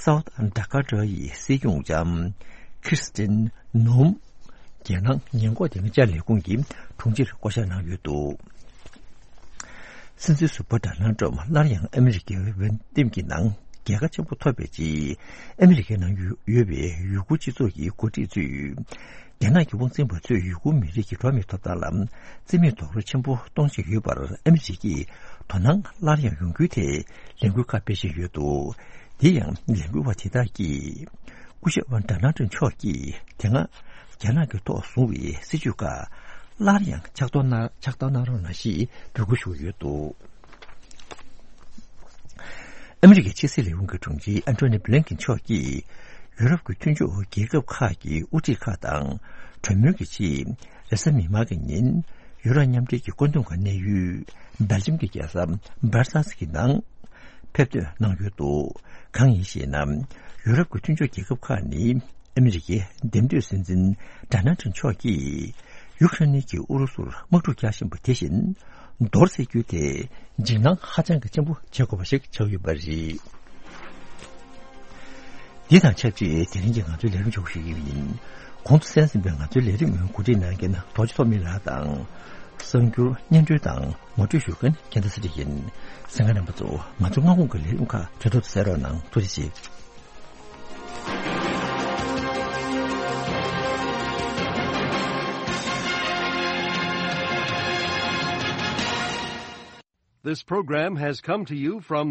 སའུ་ཐི་ཌ་ཀོ་ཊ་ཡི་སྲིད་སྐྱོང་ལྕམ་ཁིར་སི་ཏིན་ནོམ། རྒྱལ་ནང་ཉེན་འགོག་དེ་སྔ་ལྕགས་ལས་ཁུངས་ཀྱི་དྲུང་ཆེར་བསྐོ་གཞག་གནང་ཡོད་འདུག། སྲིད་འཛིན་ཟུར་པ་ཌོ་ནལ་ཊམ་སླར་ཡང་ཨ་མི་རི་ཀའི་འོས་འདེམས་ཀྱི་ནང་རྒྱལ་ཁ་ཆེན་པོ་ཐོབ་པའི་རྗེས། ཨ་མི་རི་ཀའི་ནང་ཡོད་པའི་ཡུ་གུར་སྤྱི་ཚོགས་ཀྱི་འགོ་ཁྲིད་ཚོས། རྒྱ་ནག་གི་དབང་འཛིན་པ་ཚོས་ཡུ་གུར་མི་རིགས་ཀྱི་འགྲོ་བ་མིའི་ཐོབ་ཐང་ལ་བརྩི་མེད་རྡོག་རོལ་ཆེན་པོ་གཏོང་བཞིན་ཡོད་པར་ཨ་མི་རི་ཀས་དོ་སྣང་སླར་ཡང་ཡོང་རྒྱུའི་ཐད་ལས་འགུལ་ཁག་སྤེལ་བཞིན་ཡོད་འདུག། དེ་ཡང་ལས་འགུལ་བ་དེ་དག་གིས། སྐུ་ཞབས་ཌོ་ནལ་ཊམ་མཆོག་གིས་དེ་སྔ་རྒྱ་ནག་གི་ཐོག་བཟུང་བའི་སྲིད་བྱུས་ཁག་སླར་ཡང་ཕྱག་ཐོག་གནང་ཕྱག་ཐོག་གནང་རོགས་གནང་ཞེས་འབོད་སྐུལ་ཞུས་ཡོད་འདུག། ཨ་མི་རི་ཀའི་ཕྱི་སྲིད་ལས་ཁུངས་ཀྱི་དྲུང་ཆེ་ཨན་ཐོ་ནི་བྷི་ལིན་ཀེན་མཆོག་གིས་ཡུ་རོབ་ཀྱི་མཐུན་ཕྱོགས་རྒྱལ་ཁབ་ཁག་གི་དབུ་ཁྲིད་ཁག་དང་གྲོས་མོལ་གྱི་ཆེད། རེས་གཟའ་མིག་དམར་གྱི་ཉིན་ཡུ་རོབ་མཉམ་འབྲེལ་གྱི་བཀོད་འདོམས་ཁང་གནས་ཡུལ་སྦེལ་ཇམ་གྱི་རྒྱལ་ས་སྦར་སེལ་སི་གི་ནང་ཕེབས་ཐོན་གནང་ཡོད་འདུག། གང་ཡིན་ཞེ་ན། ཡུ་རོབ་ཀྱི་མཐུན་ཕྱོགས་རྒྱལ་ཁབ་ཁག་ནི་ཨ་མི་རི་ཀའི་འདེམས་ཐོན་སྲིད་འཛིན་ཌོ་ནལ་ཊམ་མཆོག་གིས་ཡུཀ་རེན་གྱིས་ཨུ་རུ་སུར་དམག་འཁྲུག་རྒྱག་བཞིན་པ་དེ་བཞིན་མདོར་བསྡུས་རྒྱུ་དེ་འཇིགས་སྣང་ཧ་ཅང་གི་ཆེན་པོ་བྱེད་དགོས་པ་ཞིག་ཆགས་ཡོད་པ་རེད། འདི་དང་ཆབས་ཅིག་དེ་རིང་གི་ང་ཚོའི་ལས་རིམ་མཇུག་ཞུ་གི་ཡིན། གོང་དུ་གསན་ཟིན་པའི་ང་ཚོའི་ལས་རིམ་གོ་སྒྲིག་གནང་མཁན་རྡོ་རྗེ་ཐོགས་མེད་ལགས་དང་། གསར་འགྱུར་སྙན་སྒྲོན་དང་ངོ་སྤྲོད་ཞུ་མཁན་རྒྱལ་མཚན་ཚེ་རིང་ཡིན། གསན་མཁན་རྣམ་པ་ཚོ་ང་ཚོ་སྔ་དགོང་གི་ལས་རིམ་ཁག་གྲོས་ཐོག་ཏུ་གསན་རོགས་གནང་། ཐུགས་རྗེ་ཆེ། This program has come to you from